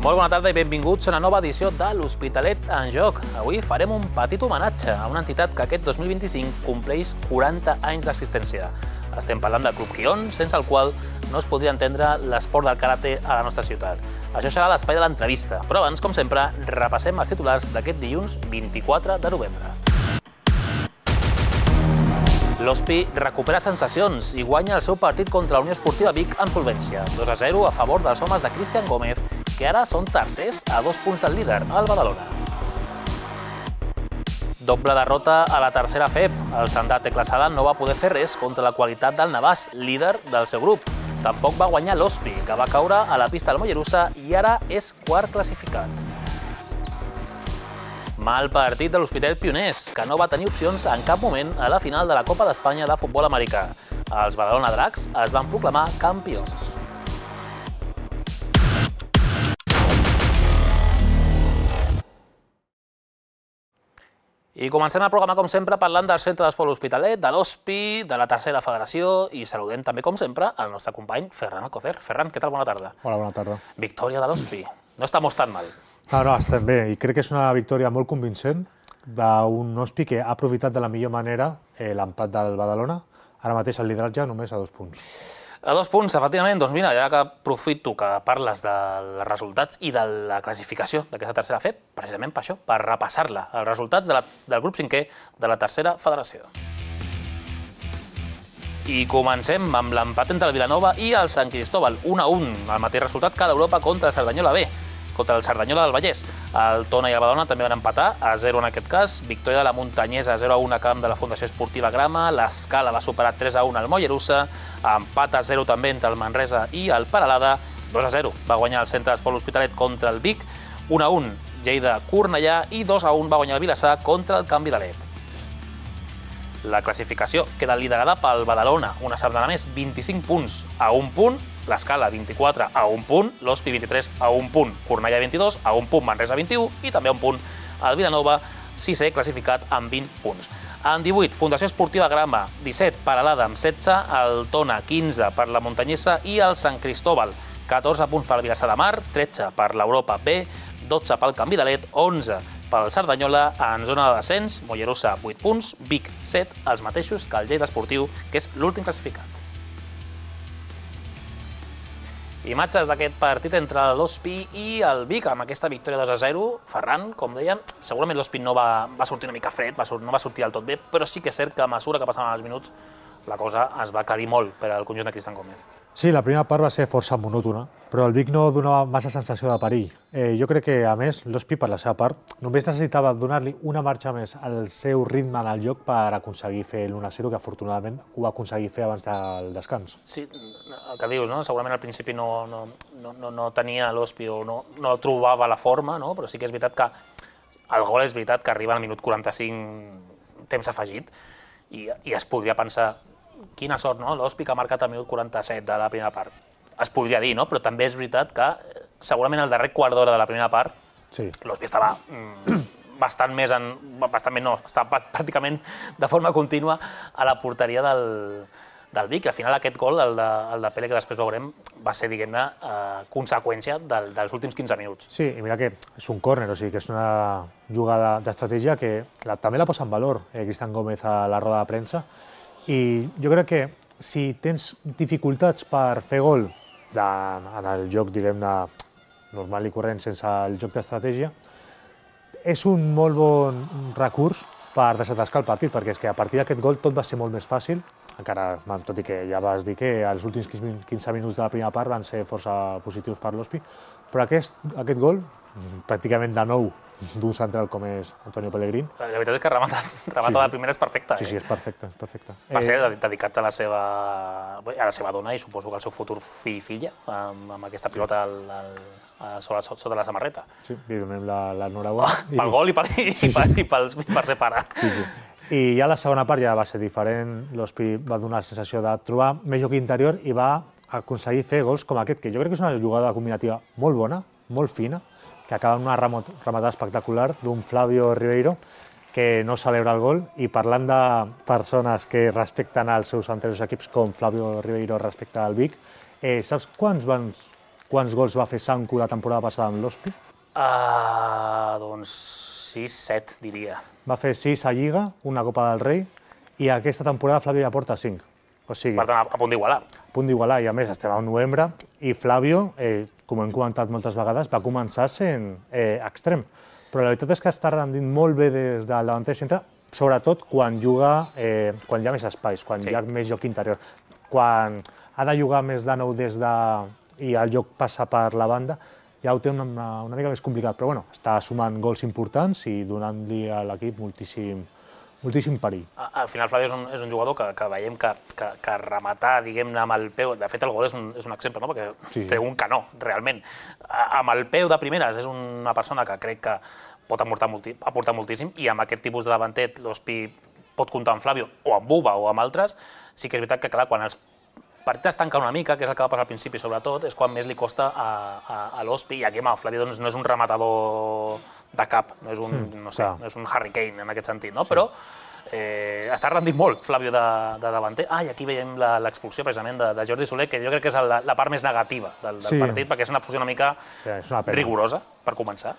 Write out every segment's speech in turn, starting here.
Molt bona tarda i benvinguts a una nova edició de l'Hospitalet en Joc. Avui farem un petit homenatge a una entitat que aquest 2025 compleix 40 anys d'existència. Estem parlant del Club Quion, sense el qual no es podria entendre l'esport del karate a la nostra ciutat. Això serà l'espai de l'entrevista, però abans, com sempre, repassem els titulars d'aquest dilluns 24 de novembre. L'Hospi recupera sensacions i guanya el seu partit contra la Unió Esportiva Vic amb solvència. 2-0 a favor dels homes de Cristian Gómez, que ara són tercers a 2 punts del líder, el Badalona. Doble derrota a la tercera FEP. El Sandà Tecla Sala no va poder fer res contra la qualitat del Navàs, líder del seu grup. Tampoc va guanyar l'Hospi, que va caure a la pista del Mollerussa i ara és quart classificat. Mal partit de l'Hospitalet Pioners, que no va tenir opcions en cap moment a la final de la Copa d'Espanya de futbol americà. Els Badalona Dracs es van proclamar campions. I comencem el programa, com sempre, parlant del Centre d'Esport L'Hospitalet, de l'Hospi, de la tercera federació i saludem també, com sempre, el nostre company Ferran Alcocer. Ferran, què tal? Bona tarda. Hola, bona tarda. Victòria de l'Hospi. No estamos tan mal. No, estem bé i crec que és una victòria molt convincent d'un Hospi que ha aprofitat de la millor manera l'empat del Badalona. Ara mateix el lideratge només a 2 punts. A 2 punts, efectivament. Doncs mira, ja que aprofito que parles dels resultats i de la classificació d'aquesta tercera FEP, precisament per això, per repassar-la, els resultats del grup 5è de la tercera federació. I comencem amb l'empat entre el Vilanova i el Sant Cristóbal, 1-1, el mateix resultat que l'Europa contra el Cerdanyola B, contra el Cerdanyola del Vallès. El Tona i el Badalona també van empatar, a 0 en aquest cas. Victòria de la Muntanyesa, 0-1 a camp de la Fundació Esportiva Grama. L'Escala va superar 3-1 al Mollerussa. Empat a 0 també entre el Manresa i el Peralada. 2-0 va guanyar el Centre d'Esport L'Hospitalet contra el Vic. 1-1 Lleida-Cornellà i 2-1 va guanyar el Vilassar contra el Canvi d'Alet. La classificació queda liderada pel Badalona, una setmana més, 25 punts a 1 punt, l'Escala 24 a 1 punt, l'Hospi 23 a 1 punt, Cornellà 22 a 1 punt, Manresa 21 i també a 1 punt el Vilanova, 6è classificat amb 20 punts. En 18, Fundació Esportiva Grama, 17, Peralada amb 16, el Tona 15 per la Muntanyesa i el Sant Cristóbal, 14 punts per Vilassar de Mar, 13 per l'Europa B, 12 pel Canvi d'Alet, 11 pel Cerdanyola, en zona de descens, Mollerussa 8 punts, Vic 7, els mateixos que el Lleida Esportiu, que és l'últim classificat. Imatges d'aquest partit entre l'Hospi i el Vic, amb aquesta victòria 2-0. Ferran, com dèiem, segurament l'Hospi no va sortir una mica fred, no va sortir del tot bé, però sí que és cert que a mesura que passaven els minuts la cosa es va aclarir molt per al conjunt de Cristian Gómez. Sí, la primera part va ser força monòtona, però el Vic no donava massa sensació de perill. Jo crec que, a més, l'Hospi, per la seva part, només necessitava donar-li una marxa més al seu ritme en el joc per aconseguir fer l'1-0, que afortunadament ho va aconseguir fer abans del descans. Sí, el que dius, no? Segurament al principi no tenia l'Hospi o no trobava la forma, no? Però sí que és veritat que el gol és veritat que arriba al minut 45 temps afegit i es podria pensar quina sort, no? L'Hospi que ha marcat al minut 47 de la primera part. Es podria dir, no? Però també és veritat que segurament el darrer quart d'hora de la primera part l'Hospi estava estava pràcticament de forma contínua a la porteria del Vic. Al final aquest gol, el de Pele, que després veurem, va ser, diguem-ne, conseqüència dels últims 15 minuts. Sí, i mira que és un córner, o sigui que és una jugada d'estratègia que també la posa en valor Cristian Gómez a la roda de premsa. I jo crec que si tens dificultats per fer gol en el joc, diguem-ne, normal i corrent, sense el joc d'estratègia, és un molt bon recurs per desatascar el partit, perquè és que a partir d'aquest gol tot va ser molt més fàcil, encara, tot i que ja vas dir que els últims 15 minuts de la primera part van ser força positius per l'Hospi, però aquest gol, pràcticament de nou, d'un central com és Antonio Pellegrín. La veritat és que remata la primera és perfecta. Sí, és perfecte. Va ser dedicat a la seva dona i suposo que al seu futur fill i filla, amb aquesta pilota sota la samarreta. Sí, li donem l'enhorabona. Pel gol i per ser pare. I ja la segona part ja va ser diferent. L'Hospi va donar la sensació de trobar més joc interior i va aconseguir fer gols com aquest, que jo crec que és una jugada combinativa molt bona, molt fina, que acaba amb una rematada espectacular d'un Flavio Ribeiro, que no celebra el gol, i parlant de persones que respecten els seus anteriors equips, com Flavio Ribeiro respecta al Vic, saps quants quants gols va fer Sanku la temporada passada amb l'Hospi? Doncs 6-7, diria. Va fer 6 a Lliga, una Copa del Rei, i aquesta temporada Flavio ja porta 5. O sigui, Per tant, a punt d'igualar. A punt d'igualar, i a més estem al novembre, i Flavio, com hem comentat moltes vegades, va començar sent extrem. Però la veritat és que està rendint molt bé des del davanter centre, sobretot quan juga, quan hi ha més espais, quan hi ha més joc interior. Quan ha de jugar més de nou i el joc passa per la banda, ja ho té una mica més complicat, però bueno, està sumant gols importants i donant-li a l'equip moltíssim perill. Al final, Flavio és un jugador que veiem que rematar, diguem-ne, amb el peu... De fet, el gol és un exemple, no? Perquè té un canó, realment. Amb el peu de primeres és una persona que crec que pot aportar moltíssim, i amb aquest tipus de davanter l'Hospi pot comptar amb Flavio, o amb Buba, o amb altres. Sí que és veritat que, clar, quan els partits es tanquen una mica, que és el que va passar al principi, sobretot, és quan més li costa a l'Hospi, i aquí el Flavio no és un rematador de cap, no és un Harry Kane en aquest sentit, no? Però està rendint molt Flavio de davanter. I aquí veiem l'expulsió precisament de Jordi Soler, que jo crec que és la part més negativa del partit, perquè és una posició una mica rigorosa, per començar,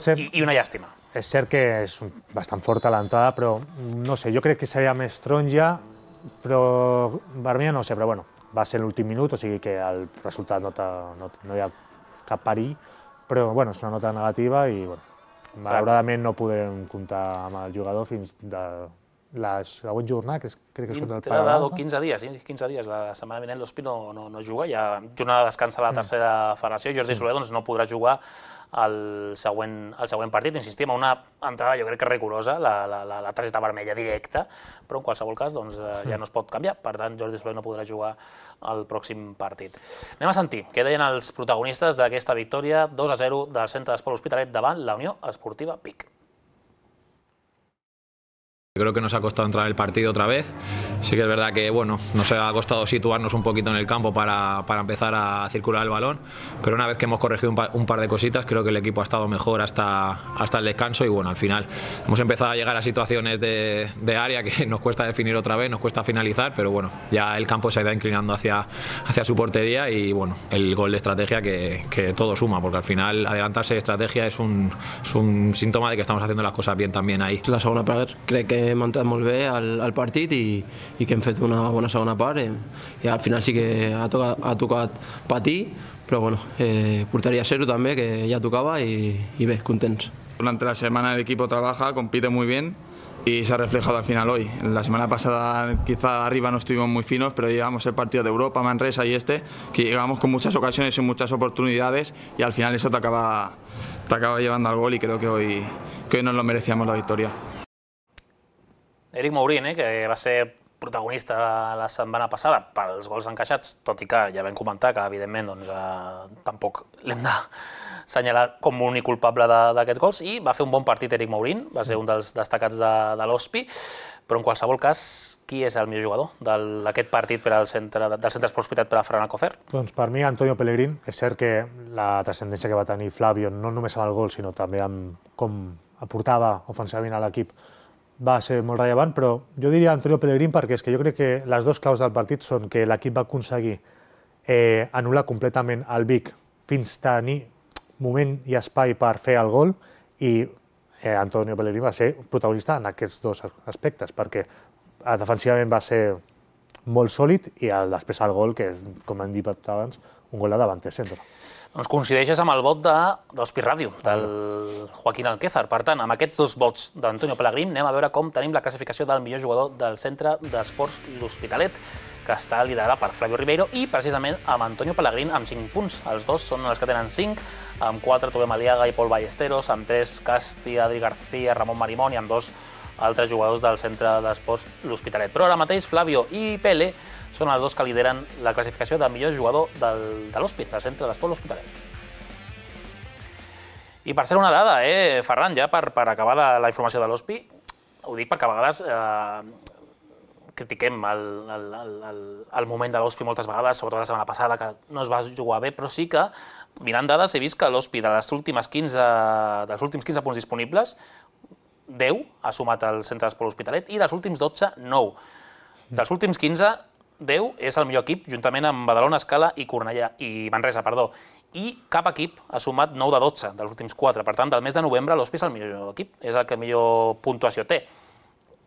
i una llàstima. És cert que és bastant forta l'entrada, però no sé, jo crec que seria més taronja, però vermella no sé, però bueno, va ser l'últim minut, o sigui que el resultat no hi ha cap perill, però bueno, és una nota negativa i bueno, malauradament no podem comptar amb el jugador fins de la següent jornada, que crec que és contra el Paragalata. 15 dies, la setmana vinent l'Hospi no juga, hi ha jornada de descans a la tercera federació, i Jordi Soler no podrà jugar el següent partit. Insistim, una entrada jo crec que rigorosa, la targeta vermella directa, però en qualsevol cas ja no es pot canviar, per tant Jordi Soler no podrà jugar al pròxim partit. Anem a sentir què deien els protagonistes d'aquesta victòria 2-0 del Centre d'Esport L'Hospitalet davant la Unió Esportiva Vic. Creo que nos ha costado entrar en el partido otra vez. Sí que es verdad que bueno, nos ha costado situarnos un poquito en el campo para empezar a circular el balón, pero una vez que hemos corregido un par de cositas, creo que el equipo ha estado mejor hasta el descanso, y bueno, al final hemos empezado a llegar a situaciones de área que nos cuesta definir otra vez, nos cuesta finalizar, pero bueno, ya el campo se ha ido inclinando hacia su portería, y bueno, el gol de estrategia que todo suma, porque al final adelantarse de estrategia es un síntoma de que estamos haciendo las cosas bien también ahí. La segona part crec que hem entrat molt bé al partit i que hem fet una bona segona part, i al final sí que ha tocat patir, però bueno, porteria zero també, que ja tocava, i bé, contents. Durante la semana el equipo trabaja, compite muy bien y se ha reflejado al final hoy. La semana pasada quizá arriba no estuvimos muy finos, pero llegamos el partido de Europa, Manresa y que llegamos con muchas ocasiones y muchas oportunidades, y al final eso te acaba llevando al gol, y creo que hoy nos lo merecíamos la victoria. Eric Mourín, que va ser protagonista la setmana passada pels gols encaixats, tot i que ja vam comentar que, evidentment, tampoc l'hem d'assenyalar com únic culpable d'aquests gols, i va fer un bon partit Eric Mourín, va ser un dels destacats de l'Hospi, però en qualsevol cas, qui és el millor jugador d'aquest partit del Centre d'Esport L'Hospitalet per a Ferran Alcocer? Doncs per mi, Antonio Pellegrín. És cert que la transcendència que va tenir Flavio, no només amb el gol, sinó també amb com aportava ofensivament a l'equip, va ser molt rellevant, però jo diria Antonio Pellegrín perquè és que jo crec que les dues claus del partit són que l'equip va aconseguir anul·lar completament el Vic fins tenir moment i espai per fer el gol, i Antonio Pellegrín va ser protagonista en aquests dos aspectes, perquè defensivament va ser molt sòlid, i després el gol, que com hem dit abans, un gol de davanter centre. Doncs coincideixes amb el vot d'Hospi Ràdio, del Joaquín Alquézar. Per tant, amb aquests dos vots d'Antonio Pellegrín anem a veure com tenim la classificació del millor jugador del Centre d'Esports L'Hospitalet, que està liderada per Flavio Ribeiro i precisament amb Antonio Pellegrín amb 5 punts. Els dos són els que tenen 5, amb 4 Tobem Aliaga i Pol Ballesteros, amb 3 Casti, Adri García, Ramon Marimón, i amb 2 altres jugadors del Centre d'Esports L'Hospitalet. Però ara mateix Flavio i Pele són els dos que lideren la classificació de millor jugador de l'Hospi, del Centre d'Esport L'Hospitalet. I per ser una dada, Ferran, ja per acabar la informació de l'Hospi, ho dic perquè a vegades critiquem el moment de l'Hospi moltes vegades, sobretot la setmana passada, que no es va jugar bé, però sí que, mirant dades, he vist que l'Hospi dels últims 15 punts disponibles, 10 ha sumat el Centre d'Esport L'Hospitalet, i dels últims 12, 9. Dels últims 15, 10 és el millor equip, juntament amb Badalona, Escala i Manresa, i cap equip ha sumat 9 de 12 dels últims 4. Per tant, del mes de novembre l'Hospi és el millor equip, és el que millor puntuació té.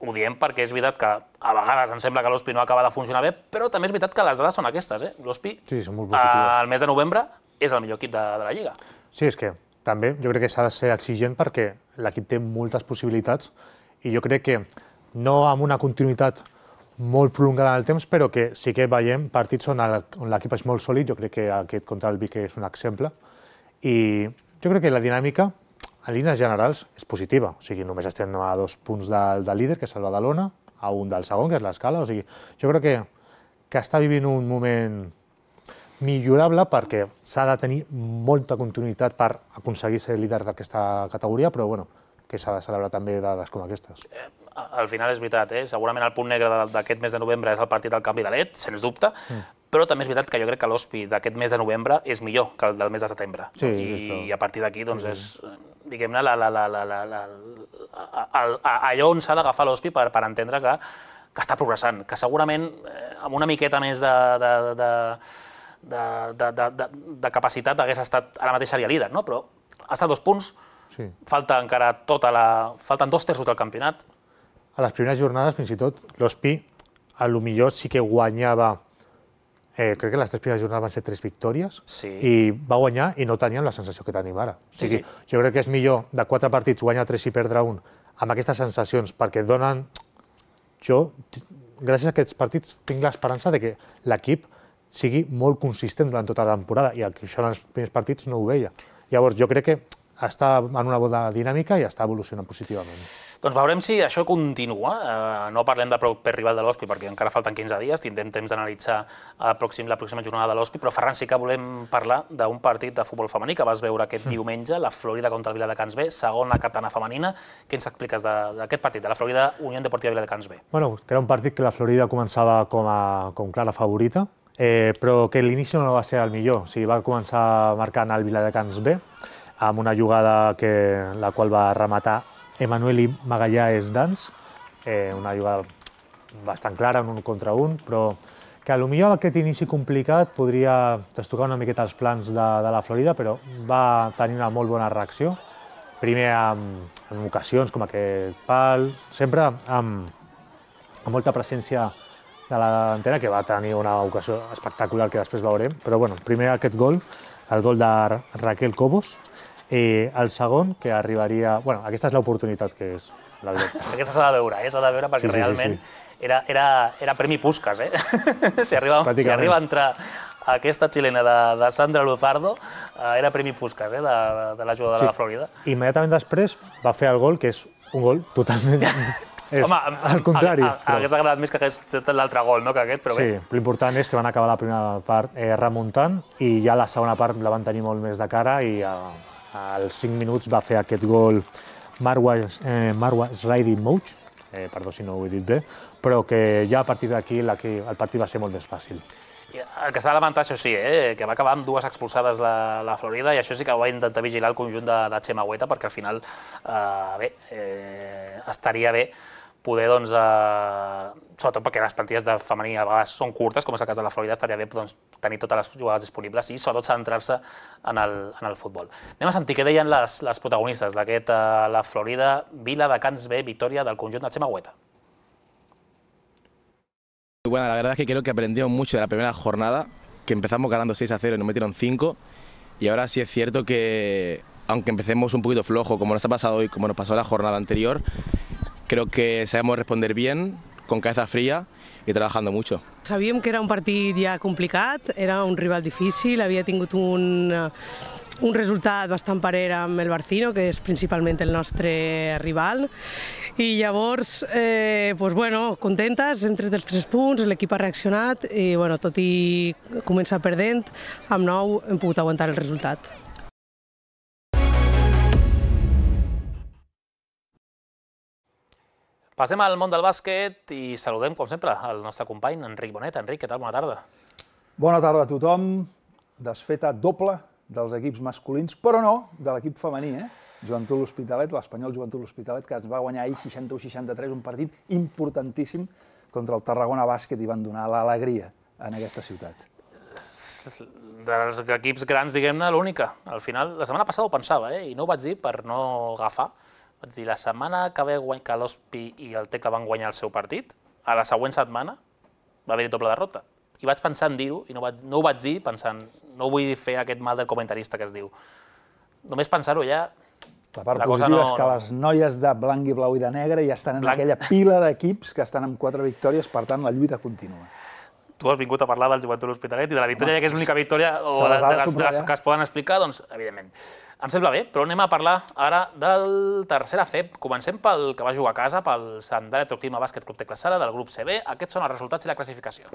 Ho diem perquè és veritat que a vegades ens sembla que l'Hospi no acaba de funcionar bé, però també és veritat que les dades són aquestes. L'Hospi, al mes de novembre, és el millor equip de la Lliga. Sí, és que també jo crec que s'ha de ser exigent perquè l'equip té moltes possibilitats i jo crec que no amb una continuïtat molt prolongada en el temps, però que sí que veiem partits on l'equip és molt sòlid. Jo crec que aquest contra el Vic és un exemple. I jo crec que la dinàmica, en línies generals, és positiva. O sigui, només estem a 2 punts del líder, que és el Badalona, a 1 del segon, que és l'Escala. O sigui, jo crec que està vivint un moment millorable perquè s'ha de tenir molta continuïtat per aconseguir ser líder d'aquesta categoria, però bueno, que s'ha de celebrar també dades com aquestes. Al final és veritat, segurament el punt negre d'aquest mes de novembre és el partit del canvi de led, sens dubte, però també és veritat que jo crec que l'Hospi d'aquest mes de novembre és millor que el del mes de setembre. I a partir d'aquí, doncs, és, diguem-ne, allò on s'ha d'agafar l'Hospi per entendre que està progressant, que segurament amb una miqueta més de capacitat hagués estat, ara mateix seria líder, no? Però ha estat 2 punts, falta encara falten 2/3 del campionat. A les primeres jornades, fins i tot, l'Hospi, potser sí que guanyava, crec que les 3 primeres jornades van ser 3 victòries, i va guanyar i no teníem la sensació que tenim ara. O sigui, jo crec que és millor de 4 partits guanyar 3 i perdre 1 amb aquestes sensacions, perquè donen... Jo, gràcies a aquests partits, tinc l'esperança de que l'equip sigui molt consistent durant tota la temporada, i això en els primers partits no ho veia. Llavors, jo crec que està en una bona dinàmica i està evolucionant positivament. Doncs veurem si això continua. No parlem del proper rival de l'Hospi perquè encara falten 15 dies, tindrem temps d'analitzar la pròxima jornada de l'Hospi, però Ferran, sí que volem parlar d'un partit de futbol femení que vas veure aquest diumenge, la Florida contra el Viladecans B, segona katana femenina. Què ens expliques d'aquest partit, de la Florida Unió Deportiva Viladecans B? Bueno, que era un partit que la Florida començava com clara favorita, però que l'inici no va ser el millor. O sigui, va començar marcant el Viladecans B, amb una jugada la qual va rematar Emanueli Magallanes Dans, una jugada bastant clara, un 1 contra 1, però que potser amb aquest inici complicat podria trastocar una miqueta els plans de la Florida, però va tenir una molt bona reacció. Primer en ocasions com aquest pal, sempre amb molta presència de la delantera, que va tenir una ocasió espectacular que després veurem, però bueno, primer aquest gol, el gol de Raquel Cobos, i el segon, que arribaria... Bueno, aquesta és l'oportunitat que és, la veritat. Aquesta s'ha de veure, perquè realment era premi Puskás, Si arriba a entrar aquesta xilena de Sandra Luzardo, era premi Puskás, de la jugadora de la Florida. Immediatament després va fer el gol, que és un gol totalment... al contrari. Hagués agradat més que hagués fet l'altre gol, que aquest, però bé. Sí, l'important és que van acabar la primera part remuntant i ja la segona part la van tenir molt més de cara i als 5 minuts va fer aquest gol Marwa Sraidi Mouch, perdó si no ho he dit bé, però que ja a partir d'aquí el partit va ser molt més fàcil. El que s'ha de lamentar, això sí, que va acabar amb 2 expulsades la Florida, i això sí que ho va intentar vigilar el conjunt de Txema Hueta, perquè al final, estaria bé poder, doncs, sobretot perquè les plantilles de femení a vegades són curtes, com és el cas de la Florida, estaria bé tenir totes les jugades disponibles i sobretot centrar-se en el futbol. Anem a sentir què deien les protagonistes d'aquest la Florida Viladecans B, victòria del conjunt de Txema Hueta. Bueno, la verdad es que creo que aprendimos mucho de la primera jornada, que empezamos ganando 6-0 y nos metieron 5, y ahora sí es cierto que, aunque empecemos un poquito flojo, como nos ha pasado hoy, como nos pasó la jornada anterior, creo que sabemos responder bien, con cabeza fría i trabajando mucho. Sabíem que era un partit ja complicat, era un rival difícil, havia tingut un resultat bastant parer amb el Barcino, que és principalment el nostre rival, i llavors, contentes, hem tret els 3 punts, l'equip ha reaccionat i tot i començar perdent, amb 9 hem pogut aguantar el resultat. Passem al món del bàsquet i saludem, com sempre, el nostre company Enric Bonet. Enric, què tal? Bona tarda. Bona tarda a tothom. Desfeta doble dels equips masculins, però no de l'equip femení, Joventut L'Hospitalet, l'Espanyol Joventut L'Hospitalet, que ens va guanyar ahir 61-63, un partit importantíssim contra el Tarragona Bàsquet i van donar l'alegria en aquesta ciutat. dels equips grans, diguem-ne, l'única. Al final, la setmana passada ho pensava, i no ho vaig dir per no agafar. Vaig dir, la setmana que l'Hospi i el Tecla van guanyar el seu partit, a la següent setmana va haver-hi doble derrota. I vaig pensar en dir-ho, i no ho vaig dir pensant, no vull fer aquest mal del comentarista que es diu. Només pensar-ho ja... La part positiva és que les noies de blanc i blau i de negre ja estan en aquella pila d'equips que estan amb 4 victòries, per tant, la lluita continua. Tu has vingut a parlar del Joventut L'Hospitalet i de la victòria, que és l'única victòria o de les que es poden explicar, doncs, evidentment. Em sembla bé, però anem a parlar ara del tercera FEP. Comencem pel que va jugar a casa, pel Sant Electroclima Bàsquet Club Tecla Sala del grup CB. Aquests són els resultats i la classificació.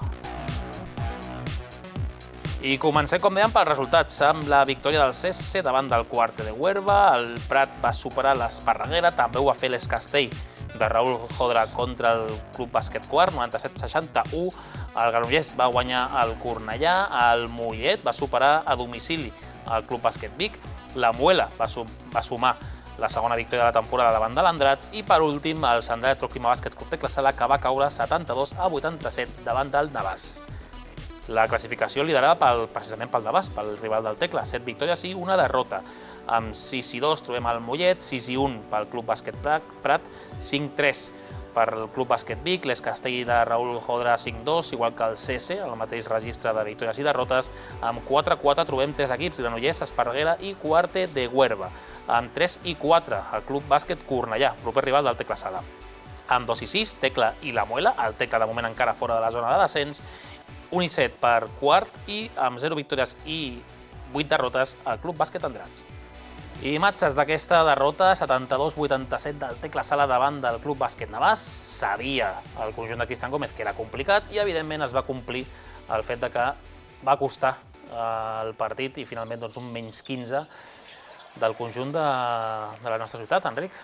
I comencem, com dèiem, pels resultats, amb la victòria del CESE davant del Cuarte de Huerva. El Prat va superar l'Esparreguera, també ho va fer l'Escastell de Raúl Jodra contra el Club Bàsquet Quart, 97-61. El Granollers va guanyar el Cornellà, el Mollet va superar a domicili el Club Bàsquet Vic, la Muela va sumar la segona victòria de la temporada davant de l'Andrats i, per últim, el Sant Electroclima Bàsquet Club Tecla Sala, que va caure 72-87 davant del Navàs. La classificació liderada precisament pel Navàs, pel rival del Tecla, 7 victòries i una derrota. Amb 6-2 trobem el Mollet, 6-1 pel Club Bàsquet Prat, 5-3 per el Club Bàsquet Vic, l'Escastell de Raúl Jodra 5-2, igual que el CESE, el mateix registre de victòries i derrotes. Amb 4-4 trobem 3 equips, Granollers, Esparreguera i Cuarte de Huerva. Amb 3-4 el Club Bàsquet Cornellà, proper rival del Tecla Sala. Amb 2-6 Tecla i la Muela, el Tecla de moment encara fora de la zona de descens. 1-7 per Quart i amb 0 victòries i 8 derrotes el Club Bàsquet Andrats. I imatges d'aquesta derrota, 72-87 del Tecla Sala davant del Club Bàsquet Navàs. Sabia el conjunt de Cristian Gómez que era complicat i, evidentment, es va complir el fet que va costar el partit i, finalment, un menys 15 del conjunt de la nostra ciutat, Enric.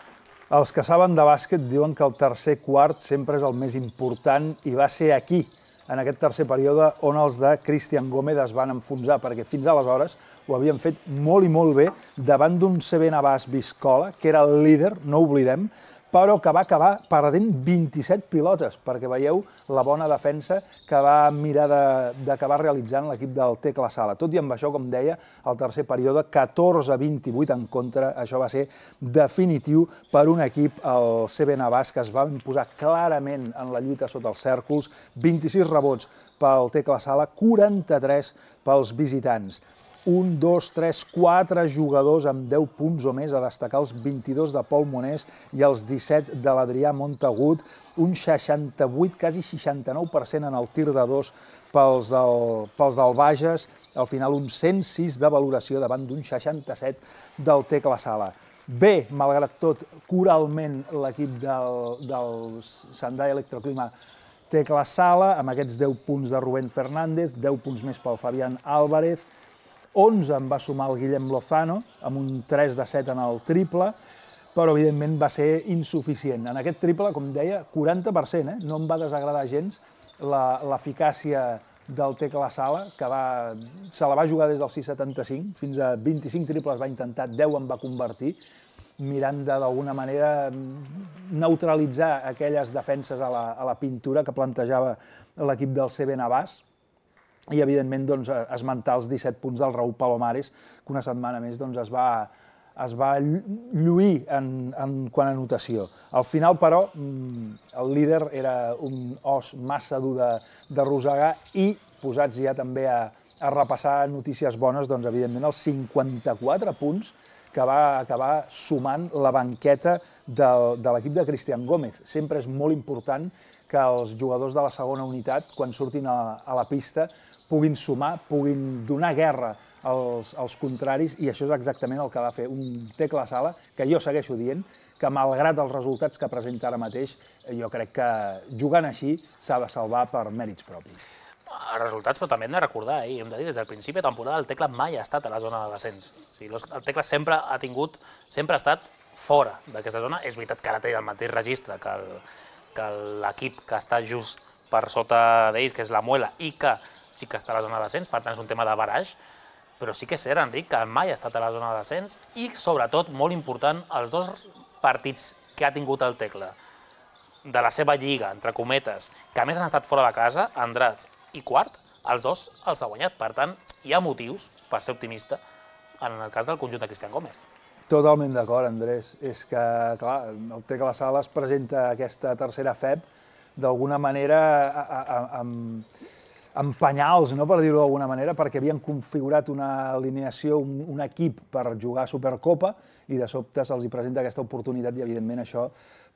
Els que saben de bàsquet diuen que el tercer quart sempre és el més important i va ser aquí, en aquest tercer període, on els de Cristian Gómez es van enfonsar, perquè fins aleshores ho havien fet molt i molt bé davant d'un CB Navàs Viscola, que era el líder, no ho oblidem, però que va acabar perdent 27 pilotes, perquè veieu la bona defensa que va mirar d'acabar realitzant l'equip del Tecla Sala. Tot i amb això, com deia, el tercer període, 14-28 en contra, això va ser definitiu per un equip, el CB Navàs, que es va imposar clarament en la lluita sota els cèrcols, 26 rebots pel Tecla Sala, 43 pels visitants. 1, 2, 3, 4 jugadors amb 10 punts o més, a destacar els 22 de Pol Monés i els 17 de l'Adrià Montagut, un 68, quasi 69% en el tir de 2 pels del Bages, al final un 106 de valoració davant d'un 67 del Tecla Sala. Bé, malgrat tot, coralment l'equip del Sandai Electroclima Tecla Sala, amb aquests 10 punts de Rubén Fernández, 10 punts més pel Fabián Álvarez, 11 en va sumar el Guillem Lozano, amb un 3 de 7 en el triple, però evidentment va ser insuficient. En aquest triple, com deia, 40%, no em va desagradar gens l'eficàcia del Tecla Sala, que se la va jugar des del 6,75, fins a 25 triples va intentar, 10 en va convertir, mirant d'alguna manera neutralitzar aquelles defenses a la pintura que plantejava l'equip del CB Navàs, i, evidentment, esmentar els 17 punts del Raúl Palomares, que una setmana més es va lluir en quant a notació. Al final, però, el líder era un os massa dur de rosegar i, posats ja també a repassar notícies bones, doncs, evidentment, els 54 punts que va acabar sumant la banqueta de l'equip de Cristian Gómez. Sempre és molt important que els jugadors de la segona unitat, quan surtin a la pista, puguin sumar, puguin donar guerra als contraris, i això és exactament el que va fer un Tecla Sala, que jo segueixo dient que, malgrat els resultats que presenta ara mateix, jo crec que jugant així s'ha de salvar per mèrits propis. Els resultats, però també hem de recordar, hem de dir, des del principi de temporada el Tecla mai ha estat a la zona de descens. El Tecla sempre ha estat fora d'aquesta zona. És veritat que ara té el mateix registre que l'equip que està just per sota d'ells, que és la Muela, i que sí que està a la zona de descens, per tant és un tema de baraix, però sí que és cert, Enric, que mai ha estat a la zona de descens i, sobretot, molt important, els 2 partits que ha tingut el Tecla de la seva lliga, entre cometes, que a més han estat fora de casa, Andrats i Quart, els dos els ha guanyat. Per tant, hi ha motius per ser optimista en el cas del conjunt de Cristian Gómez. Totalment d'acord, Andrés. És que, clar, el Tecla Sala es presenta aquesta tercera FEB d'alguna manera amb penyals, no, per dir-ho d'alguna manera, perquè havien configurat una alineació, un equip per jugar a Supercopa i de sobte se'ls presenta aquesta oportunitat i, evidentment, això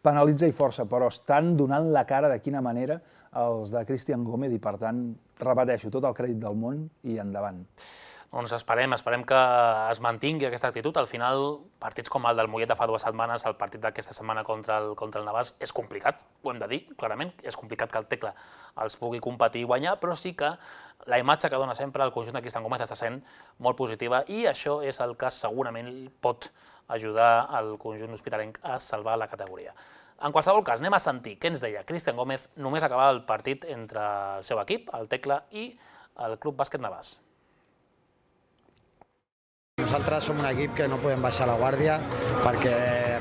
penalitza i força, però estan donant la cara de quina manera els de Cristian Gómez i, per tant, repeteixo, tot el crèdit del món i endavant. Doncs esperem que es mantingui aquesta actitud. Al final, partits com el del Mollet de fa 2 setmanes, el partit d'aquesta setmana contra el Navàs, és complicat, ho hem de dir, clarament. És complicat que el Tecla els pugui competir i guanyar, però sí que la imatge que dona sempre el conjunt de Cristian Gómez està sent molt positiva i això és el que segurament pot ajudar al conjunt hospitalenc a salvar la categoria. En qualsevol cas, anem a sentir què ens deia Cristian Gómez només acabar el partit entre el seu equip, el Tecla, i el Club Bàsquet Navàs. Nosaltres som un equip que no podem baixar la guàrdia perquè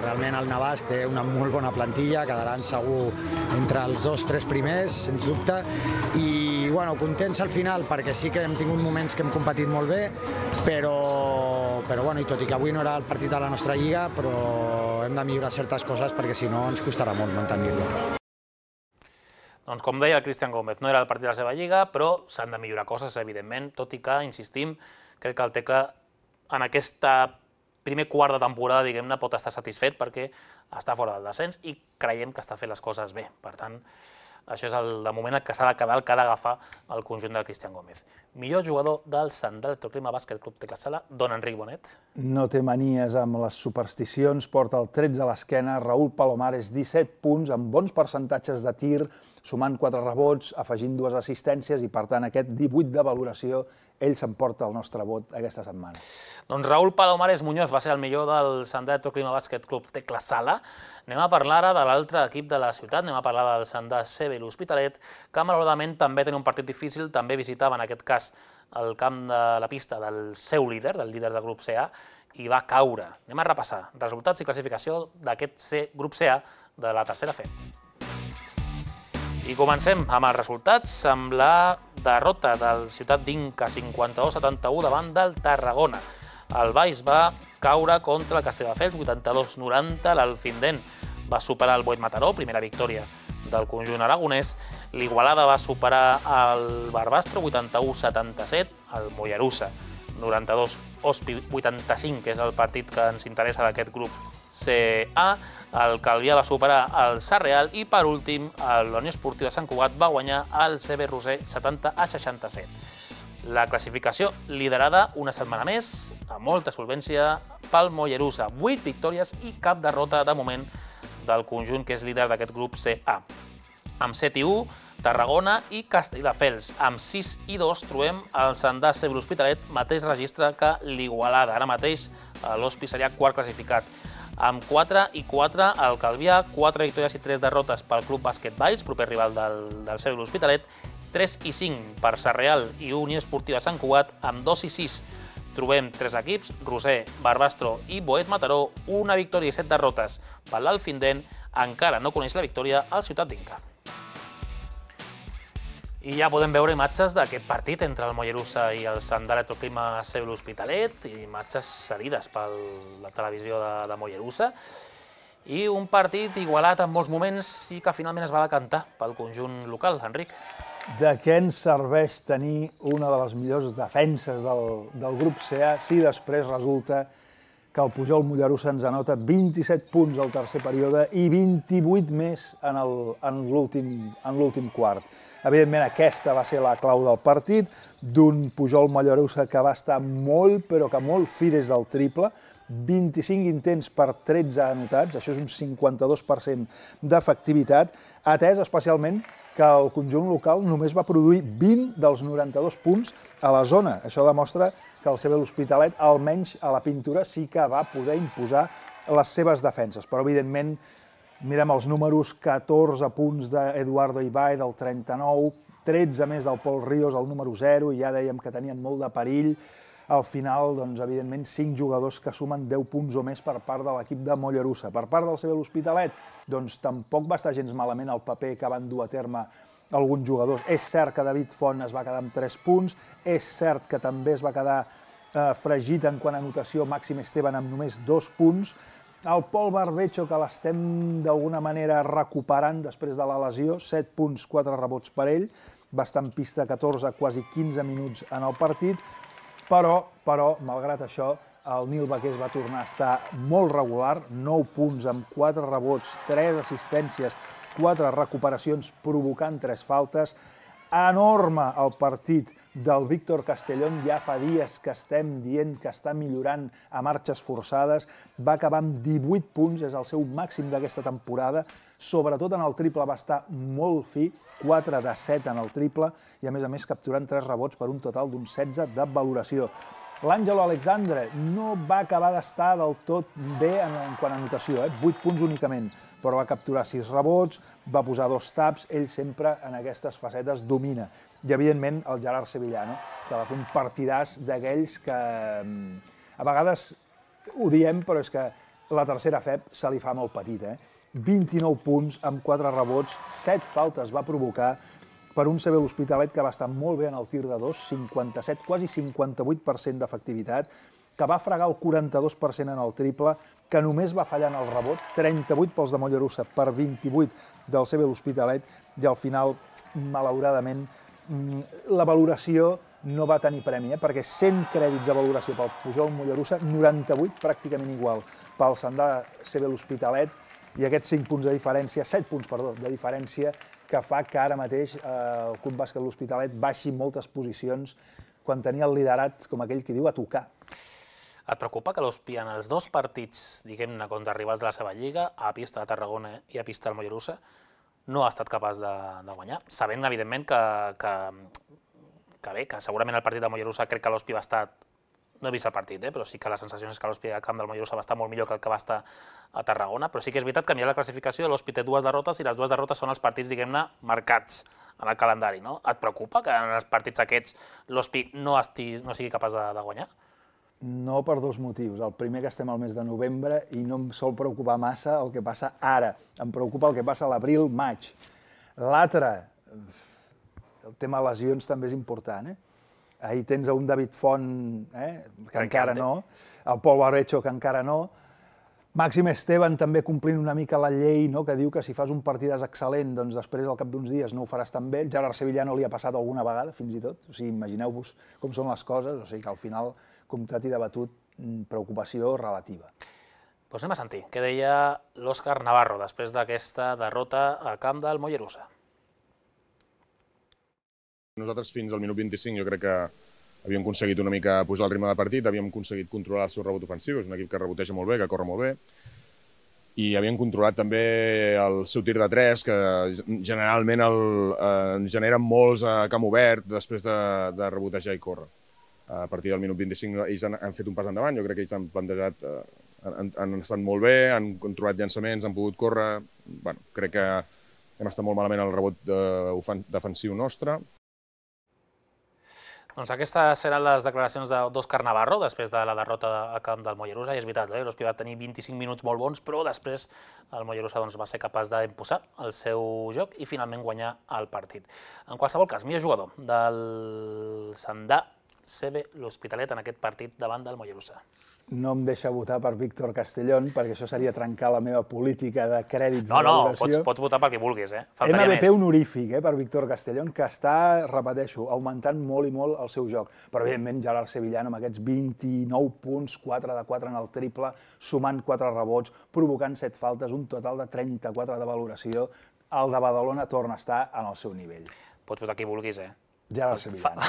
realment el Navàs té una molt bona plantilla, quedaran segur entre els 2-3 primers, sens dubte, i bueno, contents al final perquè sí que hem tingut moments que hem competit molt bé, però bueno, i tot i que avui no era el partit de la nostra lliga, però hem de millorar certes coses perquè si no ens costarà molt mantenir-lo. Doncs com deia el Cristian Gómez, no era el partit de la seva lliga, però s'han de millorar coses, evidentment, tot i que, insistim, crec que el Tecla en aquest primer quart de temporada, diguem-ne, pot estar satisfet perquè està fora del descens i creiem que està fent les coses bé. Per tant, això és de moment el que s'ha de quedar, el que ha d'agafar el conjunt del Cristian Gómez. Millor jugador del Sant Electroclima Bàsquet Club Tecla Sala, don Enric Bonet. No té manies amb les supersticions, porta el 13 a l'esquena, Raúl Palomares 17 punts, amb bons percentatges de tir, sumant 4 rebots, afegint 2 assistències i, per tant, aquest 18 de valoració, ell s'emporta el nostre vot aquesta setmana. Doncs Raúl Palomares Muñoz va ser el millor del Sant Electroclima Bàsquet Club Tecla Sala. Anem a parlar ara de l'altre equip de la ciutat, anem a parlar del Sant CB l'Hospitalet, que malauradament també tenia un partit difícil, també visitava en aquest cas el camp de la pista del seu líder, del líder del grup CA, i va caure. Anem a repassar resultats i classificació d'aquest grup CA de la tercera FEB. I comencem amb els resultats, amb la derrota del Ciutat d'Inca 52-71 davant del Tarragona. El Baix va caure contra el Castelldefels 82-90, l'Alfindent va superar el Boet Mataró, primera victòria del conjunt aragonès, l'Igualada va superar el Barbastro 81-77, el Mollerussa 92, Ospi 85, que és el partit que ens interessa d'aquest grup CA, el Calvià va superar el Sarreal i, per últim, la Unió Esportiva Sant Cugat va guanyar el CB Roser 70-67. La classificació liderada una setmana més, amb molta solvència, pel Mollerussa. 8 victòries i cap derrota de moment del conjunt que és líder d'aquest grup CA. Amb 7-1, Tarragona i Castelldefels. Amb 6-2 trobem el Sant CB l'Hospitalet, mateix registre que l'Igualada. Ara mateix l'Hospi seria quart classificat. Amb 4-4 el Calvià, 4 victòries i 3 derrotes pel Club Bàsquet Valls, proper rival del CB l'Hospitalet, 3-5 per Sarreal i Unió Esportiva Sant Cugat, amb 2-6 trobem 3 equips, Roser, Barbastro i Boet Mataró, una victòria i 7 derrotes per l'Alfindent, encara no coneix la victòria al Ciutat d'Inca. I ja podem veure imatges d'aquest partit entre el Mollerussa i el Sant Electroclima CB l'Hospitalet, i imatges cedides per la televisió de Mollerussa, i un partit igualat en molts moments i que finalment es va decantar pel conjunt local. Enric. De què ens serveix tenir una de les millors defenses del grup CA si després resulta que el Pujol Mollerussa ens anota 27 punts al tercer període i 28 més en l'últim quart. Evidentment, aquesta va ser la clau del partit, d'un Pujol Mollerussa que va estar molt, però que molt fi des del triple, 25 intents per 13 anotats, això és un 52% d'efectivitat, atès especialment que el conjunt local només va produir 20 dels 92 punts a la zona. Això demostra que el CB l'Hospitalet, almenys a la pintura, sí que va poder imposar les seves defenses. Però, evidentment, mirem els números, 14 punts d'Eduardo Ibai, del 39, 13 més del Pol Ríos, el número 0, i ja dèiem que tenien molt de perill. Al final, doncs, evidentment, 5 jugadors que sumen 10 punts o més per part de l'equip de Mollerussa. Per part del CB l'Hospitalet, doncs tampoc va estar gens malament el paper que van dur a terme alguns jugadors. És cert que David Font es va quedar amb 3 punts, és cert que també es va quedar fregit en quant a anotació Màxim Esteban amb només 2 punts. El Pol Barbecho, que l'estem d'alguna manera recuperant després de la lesió, 7 punts, 4 rebots per ell, va estar en pista 14, quasi 15 minuts en el partit, però, malgrat això, el Nil Baqués va tornar a estar molt regular, 9 punts amb 4 rebots, 3 assistències, 4 recuperacions provocant 3 faltes. Enorme el partit del Víctor Castellón, ja fa dies que estem dient que està millorant a marxes forçades, va acabar amb 18 punts, és el seu màxim d'aquesta temporada, sobretot en el triple va estar molt fi, 4 de 7 en el triple, i a més capturant 3 rebots per un total d'un 16 de valoració. L'Àngelo Alexandre no va acabar d'estar del tot bé en quant a anotació, 8 punts únicament, però va capturar 6 rebots, va posar 2 taps, ell sempre en aquestes facetes domina. I, evidentment, el Gerard Sevillano, que va fer un partidàs d'aquells que a vegades ho diem, però és que la tercera FEP se li fa molt petit. 29 punts amb 4 rebots, 7 faltes va provocar per un CB l'Hospitalet que va estar molt bé en el tir de 2, 57, quasi 58% d'efectivitat, que va fregar el 42% en el triple, que només va fallar en el rebot, 38 pels de Mollerussa per 28 del CB l'Hospitalet, i al final, malauradament, la valoració no va tenir premi, perquè 100 crèdits de valoració pel Pujol Mollerussa, 98 pràcticament igual pel Sandà CB l'Hospitalet, i aquests 5 punts de diferència, 7 punts, perdó, de diferència, que fa que ara mateix el Club Bàsquet l'Hospitalet baixi moltes posicions quan tenia el liderat, com aquell que diu, a tocar. Et preocupa que l'Hospi en els 2 partits, diguem-ne, contra rivals de la seva lliga, a pista de Tarragona i a pista del Mollerussa, no ha estat capaç de guanyar, sabent, evidentment, que segurament el partit del Mollerussa crec que l'Hospi va estar, no he vist el partit, però sí que la sensació és que l'Hospi al camp del Mollerussa va estar molt millor que el que va estar a Tarragona, però sí que és veritat que mirant la classificació l'Hospi té 2 derrotes i les 2 derrotes són els partits, diguem-ne, marcats en el calendari, no? Et preocupa que en els partits aquests l'Hospi no sigui capaç de guanyar? No, per 2 motius. El primer, que estem al mes de novembre i no em sol preocupar massa el que passa ara. Em preocupa el que passa a l'abril, maig. L'altre, el tema lesions també és important, Ahir tens un David Font, que encara no, el Pol Barbecho, que encara no, Màxim Esteban també complint una mica la llei, que diu que si fas un partidàs excel·lent, doncs després al cap d'uns dies no ho faràs tan bé. Gerard Sevillano li ha passat alguna vegada, fins i tot. O sigui, imagineu-vos com són les coses, o sigui que al final, comptat i debatut, preocupació relativa. Doncs anem a sentir què deia l'Òscar Navarro després d'aquesta derrota a camp del Mollerussa. Nosaltres fins al minut 25 jo crec que havíem aconseguit una mica posar el ritme de partit, havíem aconseguit controlar el seu rebot ofensiu, és un equip que reboteja molt bé, que corre molt bé, i havíem controlat també el seu tir de 3, que generalment generen molts a camp obert després de rebotejar i córrer. A partir del minut 25 ells han fet un pas endavant, jo crec que ells han plantejat, han estat molt bé, han controlat llançaments, han pogut córrer, crec que hem estat molt malament al rebot defensiu nostre. Doncs aquestes seran les declaracions d'Òscar Navarro després de la derrota a camp del Mollerussa, i és veritat, l'Hospi va tenir 25 minuts molt bons, però després el Mollerussa va ser capaç d'imposar el seu joc i finalment guanyar el partit. En qualsevol cas, millor jugador del Sandà CB l'Hospitalet en aquest partit davant del Mollerussa. No em deixa votar per Víctor Castellón, perquè això seria trencar la meva política de crèdits de valoració. No, pots votar pel que vulguis, MVP honorífic per Víctor Castellón, que està, repeteixo, augmentant molt i molt el seu joc. Però, evidentment, Gerard Sevillano amb aquests 29 punts, 4 de 4 en el triple, sumant 4 rebots, provocant 7 faltes, un total de 34 de valoració. El de Badalona torna a estar en el seu nivell. Pots votar qui vulguis, Gerard Sevillano.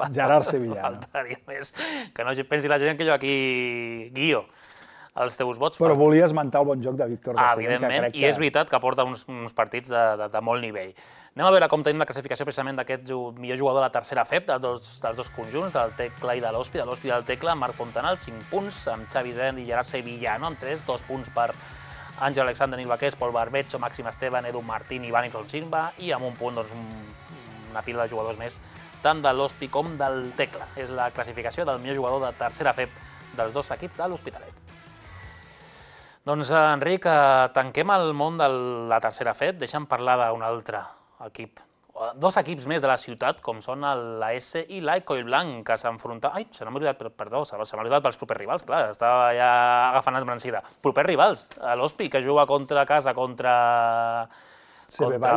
Gerard Sevillano. Faltaria més. Que no pensi la gent que jo aquí guio els teus vots. Però volia esmentar el bon joc de Víctor Castellón. Evidentment, i és veritat que porta uns partits de molt nivell. Anem a veure com tenim la classificació precisament d'aquest millor jugador de la tercera FEP, dels dos conjunts, del Tecla i de l'Hospi. De l'Hospi i del Tecla, Marc Fontanal, 5 punts, amb Xavi Zen i Gerard Sevillano, amb 3, 2 punts per Àngel Alexander, Nil Baqués, Pol Barbecho, Màxim Esteban, Edu Martín i Vani Consimba, i amb un punt, una pila de jugadors més, tant de l'Hospi com del Tecla. És la classificació del millor jugador de tercera FEP dels 2 equips de l'Hospitalet. Doncs, Enric, tanquem el món de la tercera FEP, deixa'm parlar d'un altre equip dos equips més de la ciutat, com són l'AS i l'Coillblanc, que s'enfronten... Ai, se m'ha oblidat, perdó, se m'ha oblidat pels propers rivals, clar, estava ja agafant esbrancida. Propers rivals, l'Hospi, que juga contra casa, contra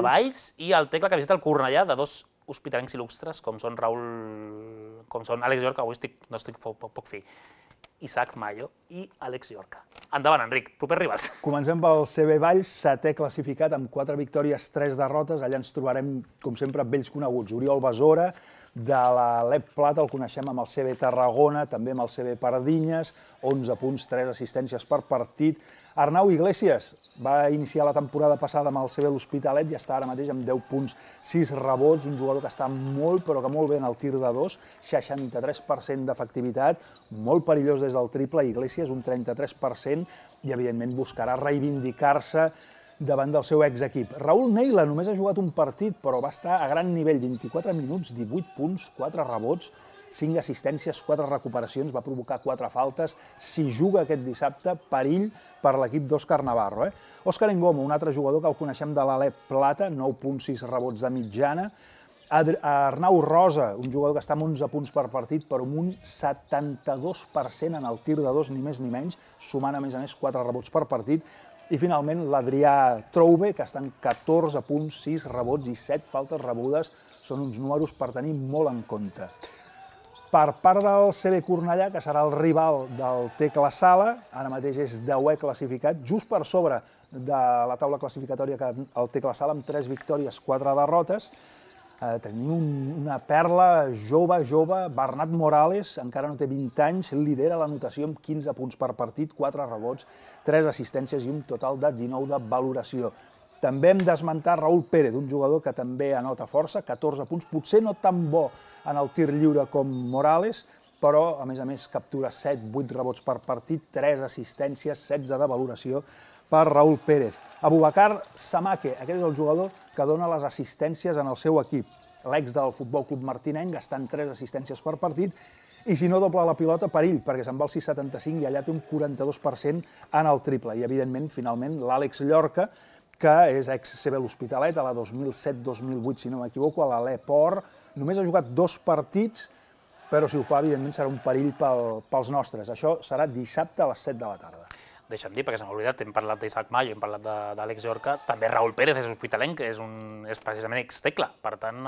Valls, i el Tecla, que visita el Cornellà, de dos hospitalencs il·lustres, com són Àlex Llorca, avui no estic poc fi, Isaac Mayo i Àlex Llorca. Endavant, Enric, propers rivals. Comencem pel CB Valls, 7è classificat amb 4 victòries, 3 derrotes. Allà ens trobarem, com sempre, vells coneguts. Oriol Besora, de l'Alep Plata, el coneixem amb el CB Tarragona, també amb el CB Pardinyes, 11 punts, 3 assistències per partit. Arnau Iglesias va iniciar la temporada passada amb el CB L'Hospitalet i està ara mateix amb 10 punts, 6 rebots, un jugador que està molt, però que molt bé en el tir de 2, 63% d'efectivitat, molt perillós des del triple, Iglesias un 33%, i evidentment buscarà reivindicar-se davant del seu exequip. Raül Neila només ha jugat un partit, però va estar a gran nivell, 24 minuts, 18 punts, 4 rebots, 5 assistències, 4 recuperacions, va provocar 4 faltes. Si juga aquest dissabte, perill per l'equip d'Òscar Navarro. Òscar Engomo, un altre jugador que el coneixem de l'Alep Plata, 9.6 rebots de mitjana. Arnau Rosa, un jugador que està amb 11 punts per partit, però amb un 72% en el tir de 2, ni més ni menys, sumant a més 4 rebots per partit. I finalment l'Adrià Troube, que està en 14 punts, 6 rebots i 7 faltes rebudes. Són uns números per tenir molt en compte. Per part del CB Cornellà, que serà el rival del Tecla Sala, ara mateix és 10è classificat, just per sobre de la taula classificatòria que el Tecla Sala, amb 3 victòries, 4 derrotes. Tenim una perla jove, Bernat Morales, encara no té 20 anys, lidera l'anotació amb 15 punts per partit, 4 rebots, 3 assistències i un total de 19 de valoració. També hem d'esmentar Raül Pérez, un jugador que també anota força, 14 punts, potser no tan bo en el tir lliure com Morales, però a més captura 7-8 rebots per partit, 3 assistències, 16 de valoració per Raül Pérez. Abubakar Samake, aquest és el jugador que dona les assistències en el seu equip. L'ex del Futbol Club Martinenc, gastant 3 assistències per partit, i si no dobla la pilota, perill, perquè se'n va al 6,75 i allà té un 42% en el triple. I, evidentment, finalment, l'Àlex Llorca, que és ex-CB L'Hospitalet, a la 2007-2008, si no m'equivoco, a l'Aleport. Només ha jugat 2 partits, però si ho fa, evidentment, serà un perill pels nostres. Això serà dissabte a les 7 de la tarda. Deixa'm dir, perquè se m'ha oblidat, hem parlat d'Isaac Mayo, hem parlat d'Àlex Llorca, també Raül Pérez és hospitalenc, que és precisament ex-Tecla, per tant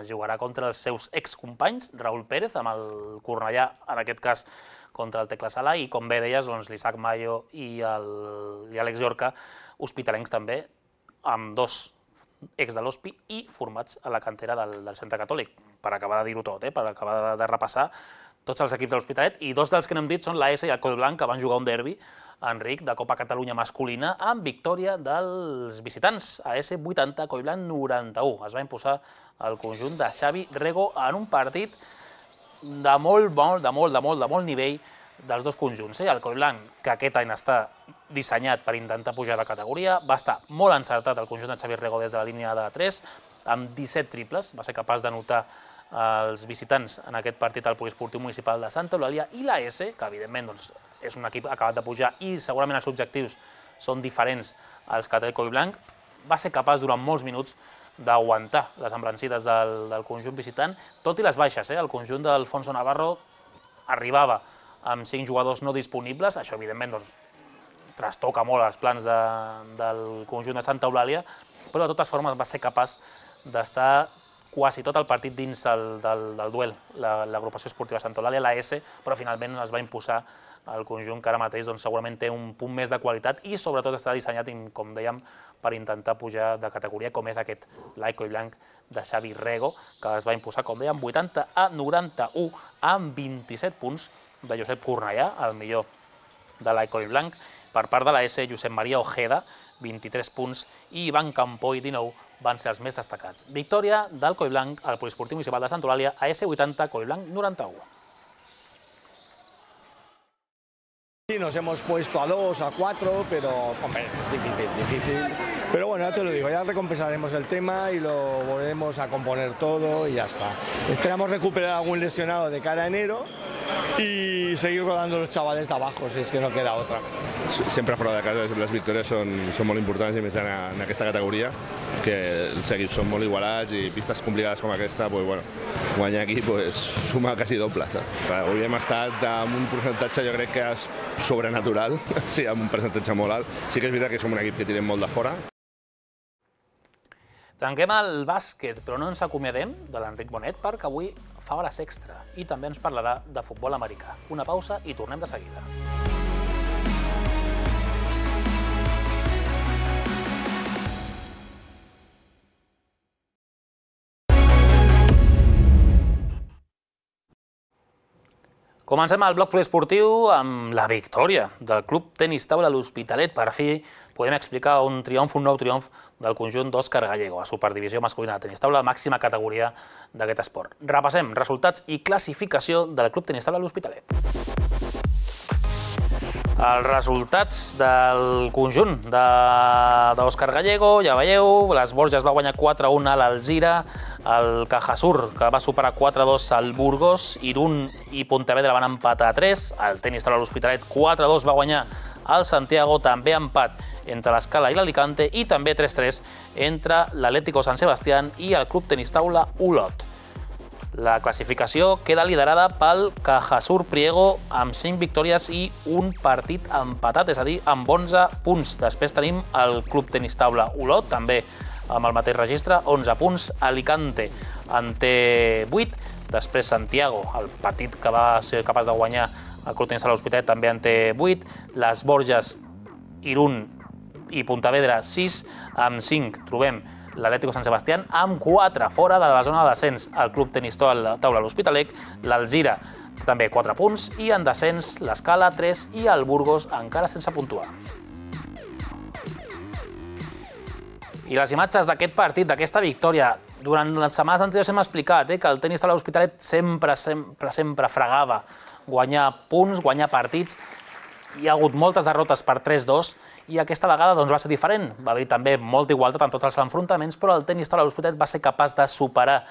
jugarà contra els seus excompanys, Raül Pérez, amb el Cornellà, en aquest cas contra el Tecla Sala, i com bé deies, l'Isaac Mayo i Àlex Llorca, hospitalencs també, amb 2 ex de l'Hospi i formats a la cantera del Centre Catòlic, per acabar de dir-ho tot, per acabar de repassar tots els equips de l'Hospitalet, i 2 dels que n'hem dit són l'AS i el Coillblanc, que van jugar un derbi, Enric, de Copa Catalunya masculina, amb victòria dels visitants, AS 80, Coillblanc 91. Es va imposar el conjunt de Xavi Rego en un partit de molt nivell dels dos conjunts. El Coillblanc, que aquest any està dissenyat per intentar pujar de categoria, va estar molt encertat el conjunt de Xavi Rego des de la línia de 3, amb 17 triples, va ser capaç d'anotar els visitants en aquest partit al Poliesportiu Municipal de Santa Eulàlia, i l'AS, que evidentment és un equip acabat de pujar i segurament els objectius són diferents als que té el Coillblanc, va ser capaç durant molts minuts d'aguantar les embranzides del conjunt visitant, tot i les baixes. El conjunt d'Alfonso Navarro arribava amb 5 jugadors no disponibles, això evidentment trastoca molt els plans del conjunt de Santa Eulàlia, però de totes formes va ser capaç d'estar quasi tot el partit dins del duel, l'agrupació esportiva Santa Eulàlia, l'AS, però finalment es va imposar el conjunt que ara mateix segurament té un punt més de qualitat i sobretot està dissenyat, com dèiem, per intentar pujar de categoria, com és aquest Coillblanc de Xavi Rego, que es va imposar, com dèiem, 80-91 amb 27 punts de Josep Cornellà, el millor de Coillblanc. Per part de l'AS, Josep Maria Ojeda, 23 punts, i Ivan Campoy, 19, van ser els més destacats. Victòria del Coillblanc al Poliesportiu Municipal de Santa Eulàlia, AS 80, Coillblanc 91. Sí, nos hemos puesto a 2, a 4, pero hombre, es difícil. Pero bueno, ya te lo digo, ya recompensaremos el tema y lo volveremos a componer todo y ya está. Esperamos recuperar algún lesionado de cara a enero y seguir rodando los chavales de abajo, si es que no queda otra. sempre fora de casa les victòries són molt importants, i més en aquesta categoria, que els equips són molt igualats i pistes complicades com aquesta, guanyar aquí suma quasi doble. Avui hem estat amb un percentatge, jo crec que és sobrenatural, sí, amb un percentatge molt alt. Sí que és veritat que som un equip que tirem molt de fora. Tanquem el bàsquet, però no ens acomiadem de l'Enric Bonet, perquè avui fa hores extra i també ens parlarà de futbol americà. Una pausa i tornem de seguida. Comencem el bloc poliesportiu amb la victòria del Club Tenis Taula l'Hospitalet. Per fi podem explicar un nou triomf del conjunt d'Òscar Gallego, a Superdivisió masculina de tenis taula, màxima categoria d'aquest esport. Repassem resultats i classificació del Club Tenis Taula l'Hospitalet. Els resultats del conjunt d'Òscar Gallego, ja veieu, les Borges va guanyar 4-1 a l'Alzira, el Cajasur, que va superar 4-2 al Burgos, Irún i Pontevedra van empatar a 3, el Tenis Taula l'Hospitalet 4-2 va guanyar al Santiago, també empat entre l'Escala i l'Alicante, i també 3-3 entre l'Atlético San Sebastián i el Club Tenis Taula Olot. La classificació queda liderada pel Cajasur Priego amb 5 victòries i un partit empatat, és a dir, amb 11 punts. Després tenim el Club Tenis Taula Olot, també amb el mateix registre, 11 punts. Alicante en té 8. Després Santiago, el partit que va ser capaç de guanyar el Club Tenis Taula l'Hospitalet, també en té 8. Les Borges, Irún i Pontevedra, 6. Amb 5 trobem l'Atlético San Sebastián, amb 4 fora de la zona de descens, el Club Tenis Taula l'Hospitalet, l'Alzira també 4 punts, i en descens l'Escala 3 i el Burgos encara sense puntuar. I les imatges d'aquest partit, d'aquesta victòria, durant les setmanes anteriors hem explicat que el Tenis Taula l'Hospitalet sempre fregava guanyar punts, guanyar partits. Hi ha hagut moltes derrotes per 3-2 i aquesta vegada va ser diferent. Va haver també molta igualtat en tots els enfrontaments, però el Tenis Taula l'Hospitalet va ser capaç de superar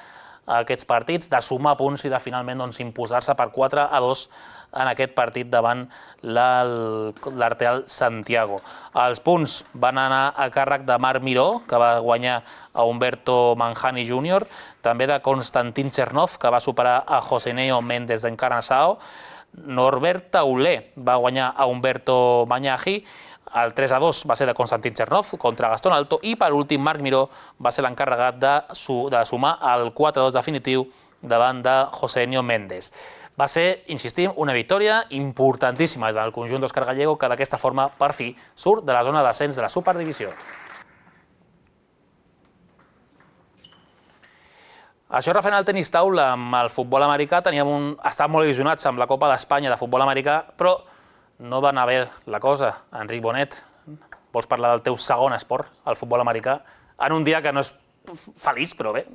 aquests partits, de sumar punts i de finalment imposar-se per 4-2 en aquest partit davant l'Arteal Santiago. Els punts van anar a càrrec de Marc Miró, que va guanyar a Humberto Manjani Jr., també de Konstantin Chernov, que va superar a Joseneo Méndez d'Encarnassao. Norbert Taulé va guanyar a Humberto Mañaji, el 3-2 va ser de Konstantin Chernov contra Gastón Alto, i per últim Marc Miró va ser l'encarregat de sumar el 4-2 definitiu davant de Josenio Méndez. Va ser, insistim, una victòria importantíssima del conjunt d'Òscar Gallego, que d'aquesta forma, per fi, surt de la zona d'ascens de la Superdivisió. Això referent al tenis taula, amb el futbol americà, estàvem molt il·lusionats amb la Copa d'Espanya de futbol americà, però no va anar bé la cosa. Enric Bonet, vols parlar del teu segon esport, el futbol americà, en un dia que no és feliç, però bé,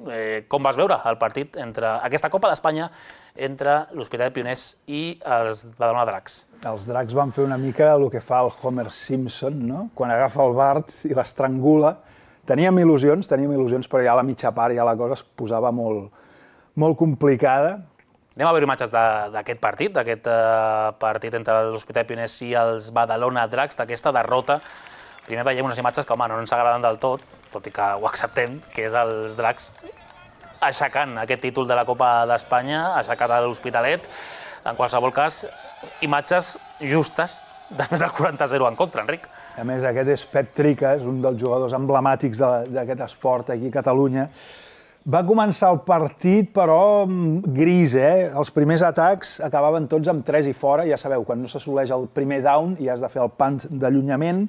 com vas veure el partit entre aquesta Copa d'Espanya entre l'Hospitalet Pioners i els Badalona Dracs? Els Dracs van fer una mica el que fa el Homer Simpson, no? Quan agafa el Bart i l'estrangula. Teníem il·lusions, però ja a la mitja part ja la cosa es posava molt complicada. Anem a veure imatges d'aquest partit entre l'Hospitalet Pioners i els Badalona Dracs, d'aquesta derrota. Primer veiem unes imatges que, no ens agraden del tot i que ho acceptem, que és els Dracs aixecant aquest títol de la Copa d'Espanya, aixecat a l'Hospitalet. En qualsevol cas, imatges justes després del 40-0 en contra, Enric. A més, aquest és Pep Triques, un dels jugadors emblemàtics d'aquest esport aquí a Catalunya. Va començar el partit, però gris, Els primers atacs acabaven tots amb 3 i fora. Ja sabeu, quan no s'assoleix el primer down i has de fer el punt d'allunyament,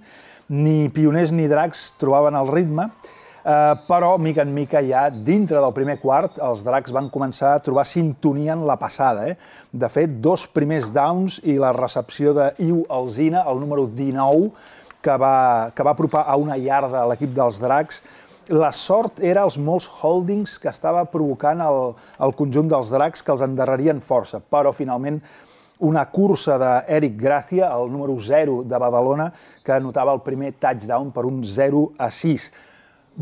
ni Pioners ni Dracs trobaven el ritme, però, mica en mica, ja dintre del primer quart, els Dracs van començar a trobar sintonia en la passada. De fet, 2 primers downs i la recepció d'Iu Alzina, el número 19, que va apropar a una iarda a l'equip dels Dracs. La sort era els molts holdings que estava provocant el conjunt dels Dracs, que els endarrerien força, però finalment una cursa d'Eric Gracia, el número 0 de Badalona, que anotava el primer touchdown per un 0-6.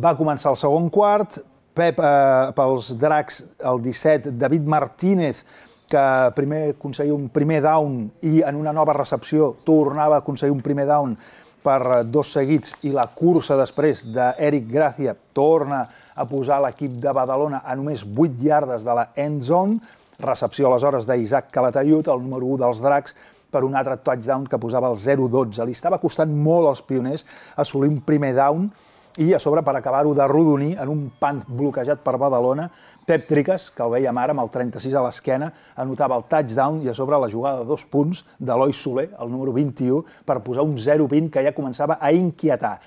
Va començar el segon quart, pels Dracs, el 17, David Martínez, que primer aconseguia un primer down i en una nova recepció tornava a aconseguir un primer down per 2 seguits i la cursa després d'Eric Gracia torna a posar l'equip de Badalona a només 8 iardes de la end zone, recepció aleshores d'Isaac Calatayud, el número 1 dels Dracs, per un altre touchdown que posava el 0-12. Li estava costant molt als pioners assolir un primer down i a sobre per acabar-ho d'arrodonir en un punt bloquejat per Badalona, Pep Triques, que el veiem ara amb el 36 a l'esquena, anotava el touchdown i a sobre la jugada de 2 punts d'Eloi Soler, el número 21, per posar un 0-20 que ja començava a inquietar.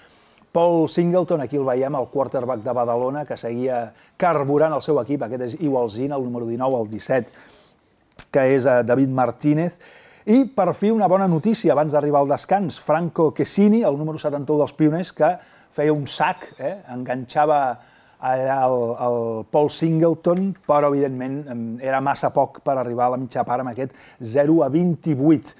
Paul Singleton, aquí el veiem, el quarterback de Badalona, que seguia carburant el seu equip, aquest és Iwalzina, el número 19, el 17, que és David Martínez. I per fi una bona notícia abans d'arribar al descans, Franco Chesini, el número 71 dels pioners, que feia un sac, enganxava allà el Paul Singleton, però evidentment era massa poc per arribar a la mitja part amb aquest 0-28.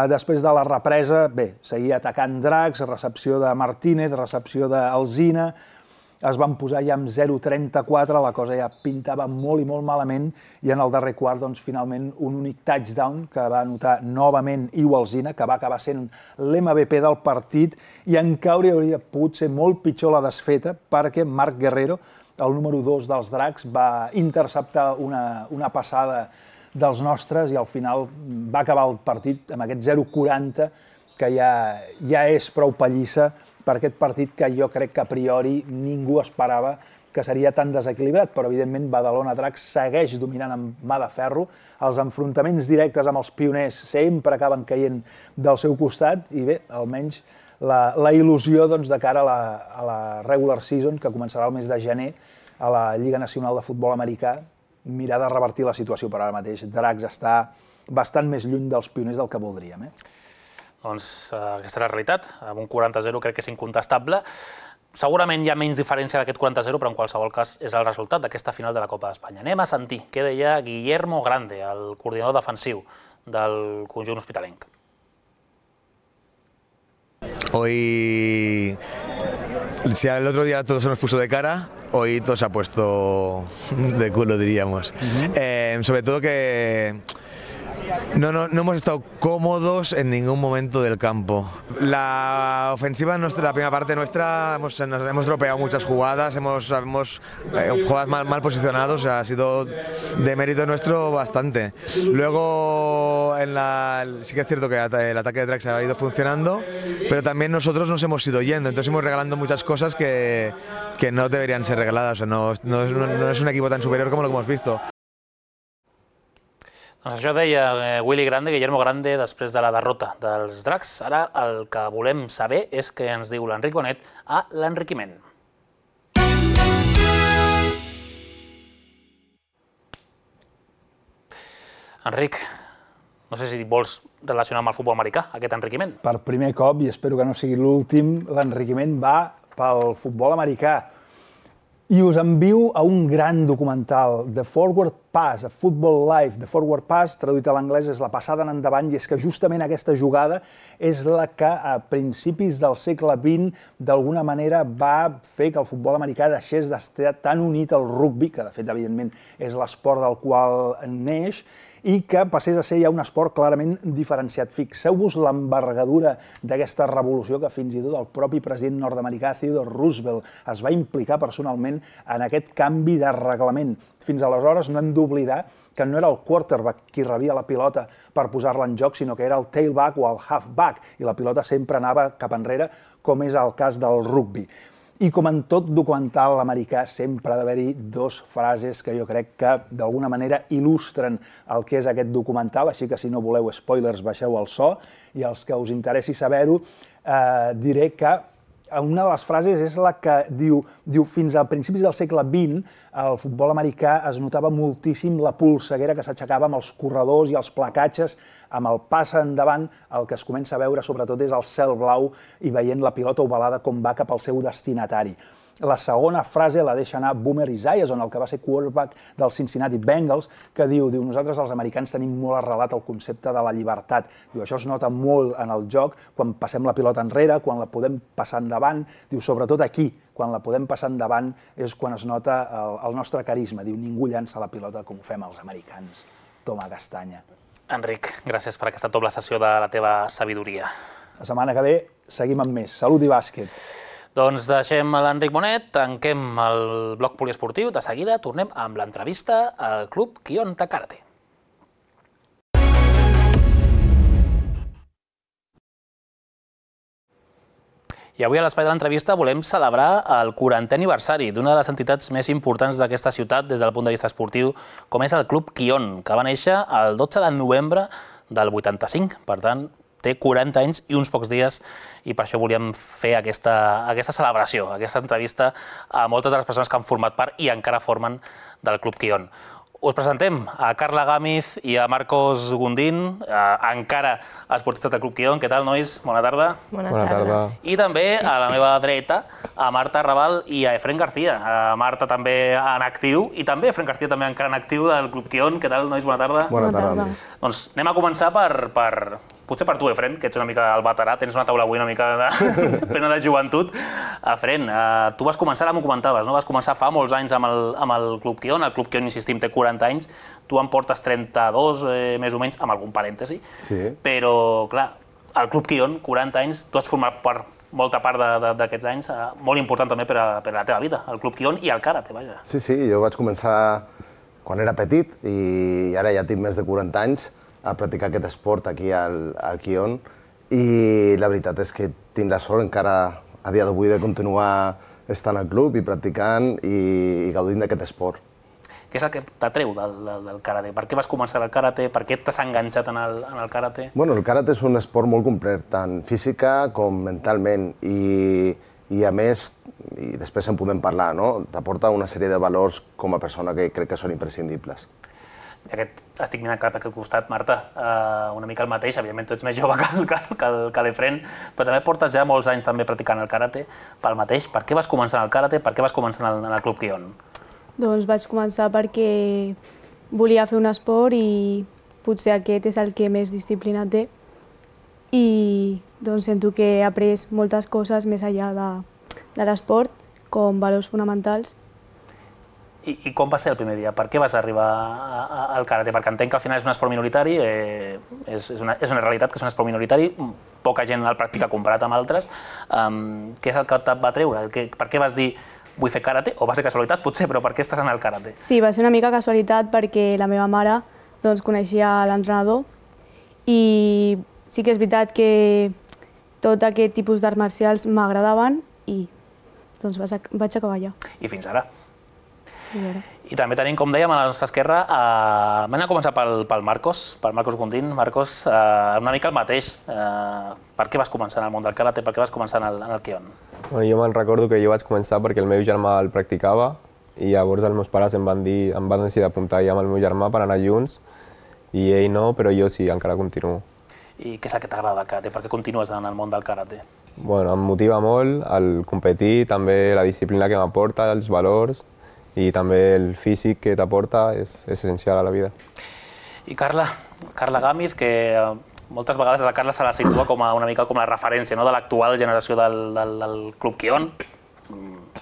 Després de la represa, bé, seguia atacant Dracs, recepció de Martínez, recepció d'Alzina, es van posar ja amb 0-34, la cosa ja pintava molt i molt malament, i en el darrer quart, doncs, finalment, un únic touchdown que va anotar novament Iwalzina, que va acabar sent l'MVP del partit, i encara hauria pogut ser molt pitjor la desfeta, perquè Marc Guerrero, el número 2 dels Dracs, va interceptar una passada dels nostres i al final va acabar el partit amb aquest 0-40, que ja és prou pallissa per aquest partit que jo crec que a priori ningú esperava que seria tan desequilibrat, però evidentment Badalona Dracs segueix dominant amb mà de ferro, els enfrontaments directes amb els pioners sempre acaben caient del seu costat i bé, almenys la il·lusió de cara a la regular season, que començarà el mes de gener a la Lliga Nacional de Futbol Americà, mirar de revertir la situació, però ara mateix Dracs està bastant més lluny dels pioners del que voldríem. Doncs aquesta és la realitat, amb un 40-0 crec que és incontestable. Segurament hi ha menys diferència d'aquest 40-0, però en qualsevol cas és el resultat d'aquesta final de la Copa d'Espanya. Anem a sentir què deia Guillermo Grande, el coordinador defensiu del conjunt hospitalenc. Hoy, si el otro día todo se nos puso de cara, hoy todo se ha puesto de culo, diríamos. Sobre todo que no hemos estado cómodos en ningún momento del campo. La ofensiva, la primera parte nuestra, hemos dropeado muchas jugadas, hemos jugadas mal posicionados, o sea, ha sido de mérito nuestro bastante. Luego, sí que es cierto que el ataque de Drax ha ido funcionando, pero también nosotros nos hemos ido yendo, entonces hemos regalando muchas cosas que no deberían ser regaladas, o sea, no es un equipo tan superior como lo que hemos visto. Doncs això deia Willy Grande, Guillermo Grande, després de la derrota dels Dracs. Ara el que volem saber és què ens diu l'Enric Bonet a l'enriquiment. Enric, no sé si vols relacionar amb el futbol americà, aquest enriquiment. Per primer cop, i espero que no sigui l'últim, l'enriquiment va pel futbol americà. I us envio a un gran documental, The Forward Pass, a Football Life. The Forward Pass, traduït a l'anglès, és la passada en endavant, i és que justament aquesta jugada és la que a principis del segle XX d'alguna manera va fer que el futbol americà deixés d'estar tan unit al rugbi, que de fet, evidentment, és l'esport del qual neix, i que passés a ser ja un esport clarament diferenciat. Fixeu-vos l'envergadura d'aquesta revolució que fins i tot el propi president nord-americà Theodore Roosevelt es va implicar personalment en aquest canvi de reglament. Fins aleshores no hem d'oblidar que no era el quarterback qui rebia la pilota per posar-la en joc, sinó que era el tailback o el halfback, i la pilota sempre anava cap enrere, com és el cas del rugbi. I com en tot documental americà sempre ha d'haver-hi 2 frases que jo crec que d'alguna manera il·lustren el que és aquest documental, així que si no voleu spoilers baixeu el so, i els que us interessi saber-ho diré que una de les frases és la que diu fins a principis del segle XX al futbol americà es notava moltíssim la polseguera que s'aixecava amb els corredors i els placatges. Amb el pas endavant el que es comença a veure sobretot és el cel blau i veient la pilota ovalada com va cap al seu destinatari. La segona frase la deixa anar Boomer Esiason, el que va ser quarterback dels Cincinnati Bengals, que diu nosaltres els americans tenim molt arrelat el concepte de la llibertat. Això es nota molt en el joc, quan passem la pilota enrere, quan la podem passar endavant, sobretot aquí, quan la podem passar endavant és quan es nota el nostre carisma. Ningú llança la pilota com ho fem els americans. Toma castanya. Enric, gràcies per aquesta doble sessió de la teva sabidoria. La setmana que ve seguim amb més. Salut i bàsquet. Doncs deixem l'Enric Bonet, tanquem el bloc poliesportiu. De seguida tornem amb l'entrevista al Club Kion de Karate. I avui a l'espai de l'entrevista volem celebrar el 40è aniversari d'una de les entitats més importants d'aquesta ciutat des del punt de vista esportiu, com és el Club Kion, que va néixer el 12 de novembre del 85. Per tant, té 40 anys i uns pocs dies, i per això volíem fer aquesta celebració, aquesta entrevista a moltes de les persones que han format part i encara formen del Club Kion. Us presentem a Carla Gámez i a Marcos Gundín, encara esportistes del Club Kion. Què tal, nois? Bona tarda. Bona tarda. I també a la meva dreta, a Marta Raval i a Efren García. Marta també en actiu i també Efren García també encara en actiu del Club Kion. Què tal, nois? Bona tarda. Bona tarda. Doncs anem a començar potser per tu, Efren, que ets una mica el veterà, tens una taula avui una mica plena de joventut. Efren, tu vas començar, ara m'ho comentaves, no? Vas començar fa molts anys amb el Club Kion. El Club Kion, insistim, té 40 anys. Tu en portes 32, més o menys, amb algun parèntesi. Sí. Però, clar, el Club Kion, 40 anys, tu has format molta part d'aquests anys, molt important també per a la teva vida, el Club Kion i el karate, vaja. Sí, jo vaig començar quan era petit i ara ja tinc més de 40 anys a practicar aquest esport aquí al Kion, i la veritat és que tinc la sort encara a dia d'avui de continuar estant al club i practicant i gaudint d'aquest esport. Què és el que t'atreu del karate? Per què vas començar el karate? Per què t'has enganxat en el karate? Bueno, el karate és un esport molt complet, tant física com mentalment, i a més, i després en podem parlar, no? T'aporta una sèrie de valors com a persona que crec que són imprescindibles. Estic mirant cap a aquest costat, Marta, una mica el mateix, evidentment tu ets més jove que l'Efren, però també portes ja molts anys també practicant el karate pel mateix. Per què vas començar en el karate? Per què vas començar en el Club Kion? Doncs vaig començar perquè volia fer un esport i potser aquest és el que més disciplina té, i doncs sento que he après moltes coses més enllà de l'esport, com valors fonamentals. I com va ser el primer dia? Per què vas arribar al karate? Perquè entenc que al final és un esport minoritari, és una realitat que és un esport minoritari, poca gent el practica comparat amb altres. Què és el que et va treure? Per què vas dir vull fer karate? O va ser casualitat, potser, però per què estàs en el karate? Sí, va ser una mica casualitat perquè la meva mare coneixia l'entrenador, i sí que és veritat que tot aquest tipus d'arts marcials m'agradaven i doncs vaig acabar allà. I fins ara? I també tenim, com dèiem, a la nostra esquerra, vam a començar pel Marcos Gundín. Marcos, una mica el mateix. Per què vas començar en el món del karate? Per què vas començar en el Kion? Jo me'n recordo que jo vaig començar perquè el meu germà el practicava, i llavors els meus pares em van decidir apuntar ja amb el meu germà per anar junts, i ell no, però jo sí, encara continuo. I què és el que t'agrada del karate? Per què continues en el món del karate? Bueno, em motiva molt el competir, també la disciplina que m'aporta, els valors, i també el físic que t'aporta és essencial a la vida. I Carla Gámez, que moltes vegades la Carla se la situa una mica com la referència de l'actual generació del Club Kion.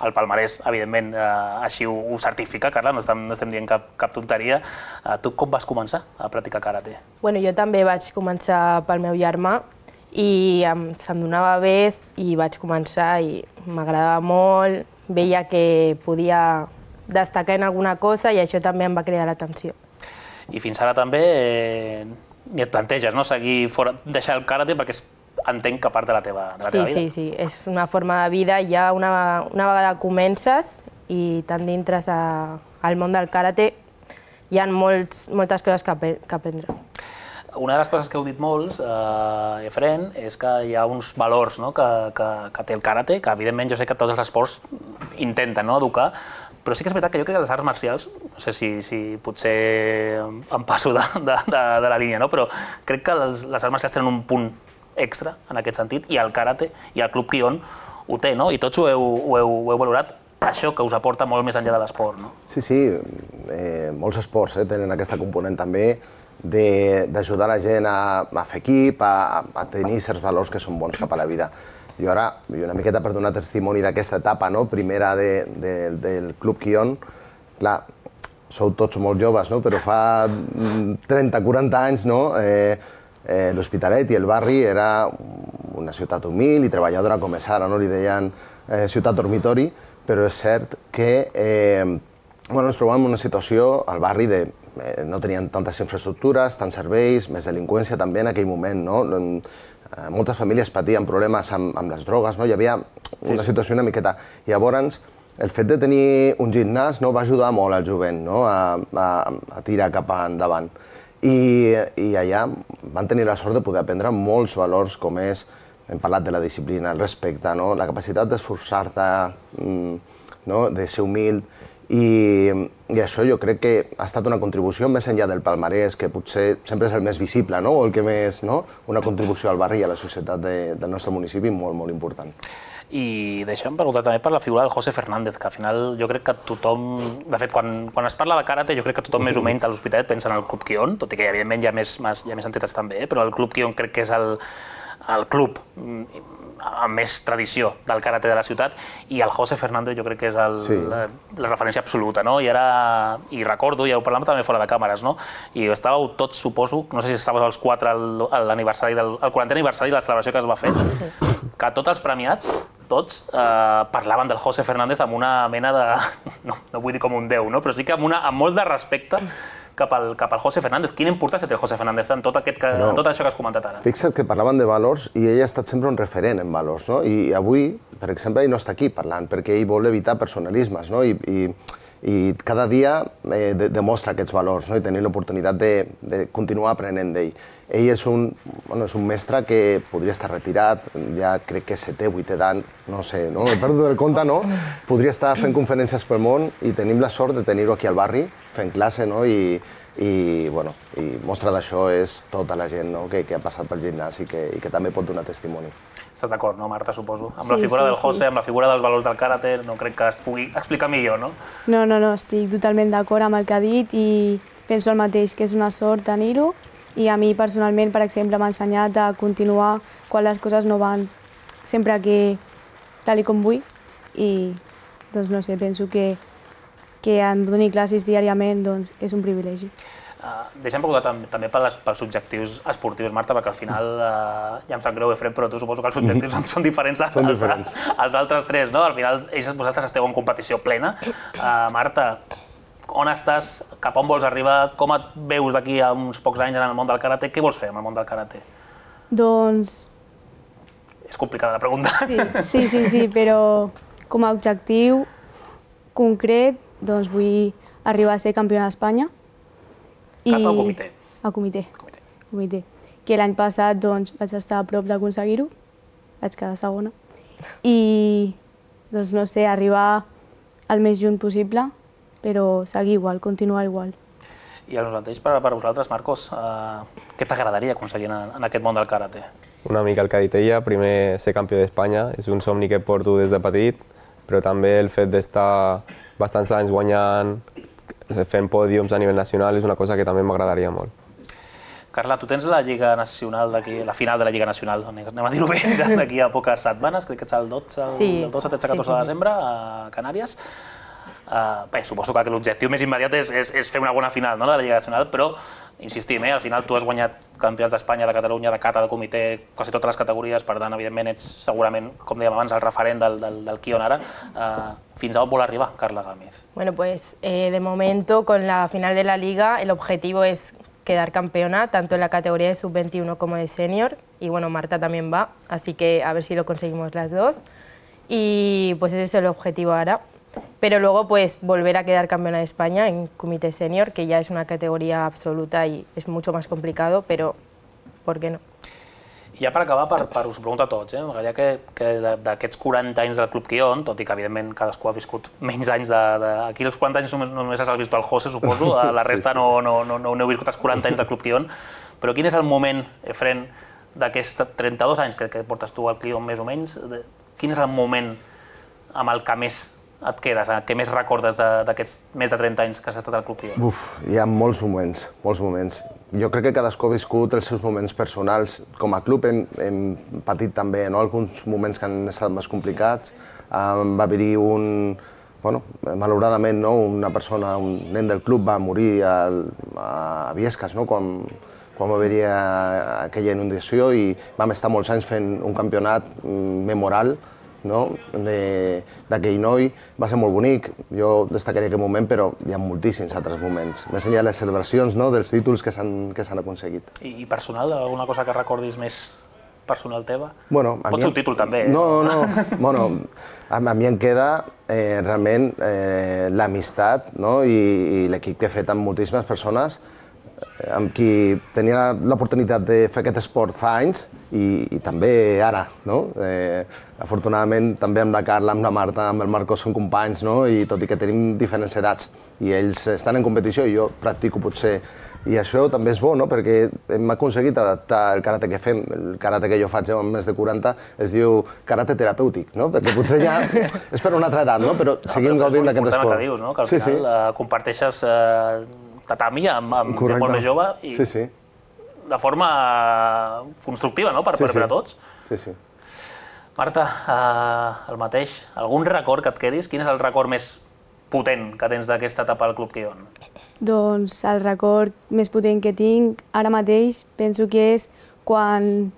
El palmarès, evidentment, així ho certifica, Carla, no estem dient cap tonteria. Tu com vas començar a practicar karate? Bueno, jo també vaig començar pel meu germà i se'm donava bé i vaig començar i m'agradava molt, veia que podia destacar en alguna cosa i això també em va cridar l'atenció. I fins ara també ni et planteges, no?, seguir fora, deixar el karate perquè entenc que part de la teva vida. Sí, és una forma de vida. Ja una vegada comences i t'enditres al món del karate, hi ha moltes coses que aprendre. Una de les coses que heu dit molts, Efren, és que hi ha uns valors que té el karate, que evidentment jo sé que tots els esports intenten educar, però sí que és veritat que jo crec que les arts marcials, no sé si potser em passo de la línia, però crec que les arts marcials tenen un punt extra en aquest sentit, i el karate i el Club Kion ho té, i tots ho heu valorat, això que us aporta molt més enllà de l'esport. Sí, molts esports tenen aquesta component també d'ajudar la gent a fer equip, a tenir certs valors que són bons cap a la vida. Jo ara, una miqueta per donar testimoni d'aquesta etapa primera del Club Kion, clar, sou tots molt joves, no? Però fa 30-40 anys, no? L'Hospitalet i el barri era una ciutat humil i treballadora com és ara, no? Li deien ciutat dormitori, però és cert que ens trobàvem en una situació al barri de no tenien tantes infraestructures, tants serveis, més delinqüència també en aquell moment, no? Moltes famílies patien problemes amb les drogues, no? Hi havia una situació una miqueta. Llavors, el fet de tenir un gimnàs va ajudar molt al jovent a tirar cap endavant. I allà van tenir la sort de poder aprendre molts valors com és, hem parlat de la disciplina, el respecte, la capacitat d'esforçar-te, de ser humil. I això jo crec que ha estat una contribució més enllà del palmarès, que potser sempre és el més visible, o el que més, una contribució al barri i a la societat del nostre municipi molt, molt important. I deixem preguntar també per la figura del José Fernández, que al final jo crec que tothom... De fet, quan es parla de karate, jo crec que tothom més o menys a l'Hospitalet pensa en el Club Kion, tot i que evidentment hi ha més entitats també, però el Club Kion crec que és el club amb més tradició del karate de la ciutat, i el José Fernández jo crec que és la referència absoluta, no? I recordo, ja ho parlàvem també fora de càmeres, no? I estàveu tots, suposo, no sé si estàveu els 4 al 40è aniversari de la celebració que es va fer, que tots els premiats, tots parlaven del José Fernández amb una mena de... no vull dir com un déu, però sí que amb molt de respecte cap al José Fernández. Quina importància té el José Fernández en tot això que has comentat ara? Fixa't que parlaven de valors i ell ha estat sempre un referent en valors, no? I avui, per exemple, ell no està aquí parlant perquè ell vol evitar personalismes, no? I cada dia demostra aquests valors, no? I tenir l'oportunitat de continuar aprenent d'ell. Ell és un mestre que podria estar retirat, ja crec que 7è, 8è d'any, no sé, no? He perdut el compte, no? Podria estar fent conferències pel món i tenim la sort de tenir-ho aquí al barri, fent classe, no? I mostra d'això és tota la gent que ha passat pel gimnàs i que també pot donar testimoni. Estàs d'acord, no, Marta, suposo? Amb la figura del José, amb la figura dels valors del karate, no crec que es pugui explicar millor, no? No, estic totalment d'acord amb el que ha dit i penso el mateix, que és una sort tenir-ho, i a mi personalment, per exemple, m'ha ensenyat a continuar quan les coses no van sempre tal com vull, i doncs no sé, penso que em doni classes diàriament és un privilegi. Deixem preguntar també pels objectius esportius, Marta, perquè al final, ja em sap greu, Efrem, però tu suposo que els objectius són diferents als altres 3, no? Al final, vosaltres esteu en competició plena. Marta, on estàs? Cap on vols arribar? Com et veus d'aquí a uns pocs anys en el món del karate? Què vols fer amb el món del karate? Doncs... És complicada la pregunta. Sí, però com a objectiu concret, doncs vull arribar a ser campiona d'Espanya. Cap al comitè? Al comitè. Que l'any passat vaig estar a prop d'aconseguir-ho, vaig quedar segona. I, doncs no sé, arribar al més junt possible, però seguir igual, continuar igual. I el mateix per vosaltres, Marcos, què t'agradaria aconseguir en aquest món del karate? Una mica el que ha dit ella, primer ser campió d'Espanya, és un somni que porto des de petit, però també el fet d'estar bastants anys guanyant, fent pòdiums a nivell nacional, és una cosa que també m'agradaria molt. Carla, tu tens la Lliga Nacional d'aquí, la final de la Lliga Nacional, anem a dir-ho bé, d'aquí a poques setmanes, crec que ets el 12, 13-14 de desembre a Canàries. Bé, suposo que l'objectiu més immediat és fer una bona final de la Lliga Nacional, però insistim, al final tu has guanyat campionats d'Espanya, de Catalunya, de kata, de comitè, quasi totes les categories, per tant, evidentment, ets segurament, com dèiem abans, el referent del Kion ara. Fins a on vol arribar, Carla Gámez? Bueno, pues de momento, con la final de la Liga, el objetivo es quedar campeona, tanto en la categoría de sub-21 como de senior, y bueno, Marta también va, así que a ver si lo conseguimos las dos, y pues ese es el objetivo ahora. Pero luego pues volver a quedar campeona de España en comité senior, que ya es una categoría absoluta y es mucho más complicado, pero ¿por qué no? I ja per acabar, us ho pregunto a tots, m'agradaria que d'aquests 40 anys del Club Kion, tot i que evidentment cadascú ha viscut menys anys aquí els 40 anys només has vist el José, suposo, la resta no heu viscut els 40 anys del Club Kion, però quin és el moment, Efrem, d'aquests 32 anys que portes tu al Kion més o menys, quin és el moment amb el que més et quedes, què més recordes d'aquests més de 30 anys que has estat al Club Kion? Hi ha molts moments, molts moments. Jo crec que cadascú ha viscut els seus moments personals. Com a club hem patit també alguns moments que han estat més complicats. Va haver-hi malauradament, una persona, un nen del club va morir a Viescas, quan va haver-hi aquella inundació i vam estar molts anys fent un campionat memorable d'aquell noi. Va ser molt bonic, jo destacaria aquest moment, però hi ha moltíssims altres moments. Més enllà de les celebracions dels títols que s'han aconseguit. I personal, alguna cosa que recordis més personal teva? Pot ser un títol també, eh? No. A mi em queda realment l'amistat i l'equip que he fet amb moltíssimes persones amb qui tenia l'oportunitat de fer aquest esport fa anys i també ara. Afortunadament també amb la Carla, amb la Marta, amb el Marcos són companys i tot i que tenim diferents edats i ells estan en competició i jo practico potser. I això també és bo, perquè hem aconseguit adaptar el karate que fem, el karate que jo faig amb més de 40, es diu karate terapèutic, perquè potser ja és per una altra edat, però seguim gaudint d'aquest esport. És molt important el que dius, que al final comparteixes tatami amb gent molt més jove i de forma constructiva per a tots. Sí. Marta, el mateix, algun record que et quedis? Quin és el record més potent que tens d'aquesta etapa al Club Quion? Doncs el record més potent que tinc ara mateix penso que és quan,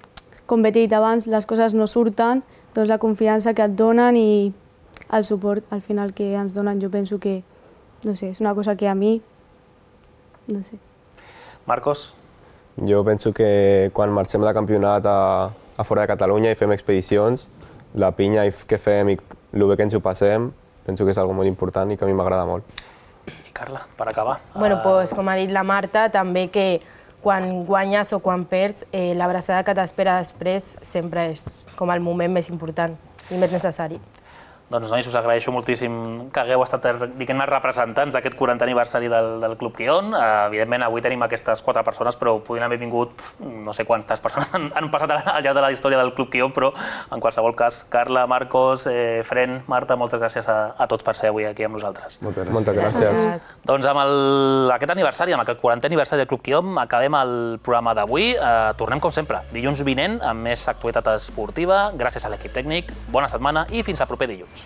com bé he dit abans, les coses no surten, doncs la confiança que et donen i el suport al final que ens donen, jo penso que, no sé, és una cosa que a mi, no sé. Marcos? Jo penso que quan marxem de campionat a fora de Catalunya i fem expedicions, la pinya que fem i el bé que ens ho passem, penso que és algo molt important i que a mi m'agrada molt. I Carla, per acabar. Doncs, com ha dit la Marta, també que quan guanyes o quan perds, l'abraçada que t'espera després sempre és com el moment més important i més necessari. Doncs, nois, us agraeixo moltíssim que hagueu estat, diguem-ne, representants d'aquest 40è aniversari del Club Quion. Evidentment, avui tenim aquestes 4 persones, però podrien haver vingut no sé quantes persones han passat al llarg de la història del Club Quion, però en qualsevol cas, Carla, Marcos, Fren, Marta, moltes gràcies a tots per ser avui aquí amb nosaltres. Moltes gràcies. Doncs amb aquest aniversari, amb aquest 40è aniversari del Club Quion, acabem el programa d'avui. Tornem, com sempre, dilluns vinent amb més actualitat esportiva. Gràcies a l'equip tècnic, bona setmana i fins al proper dilluns.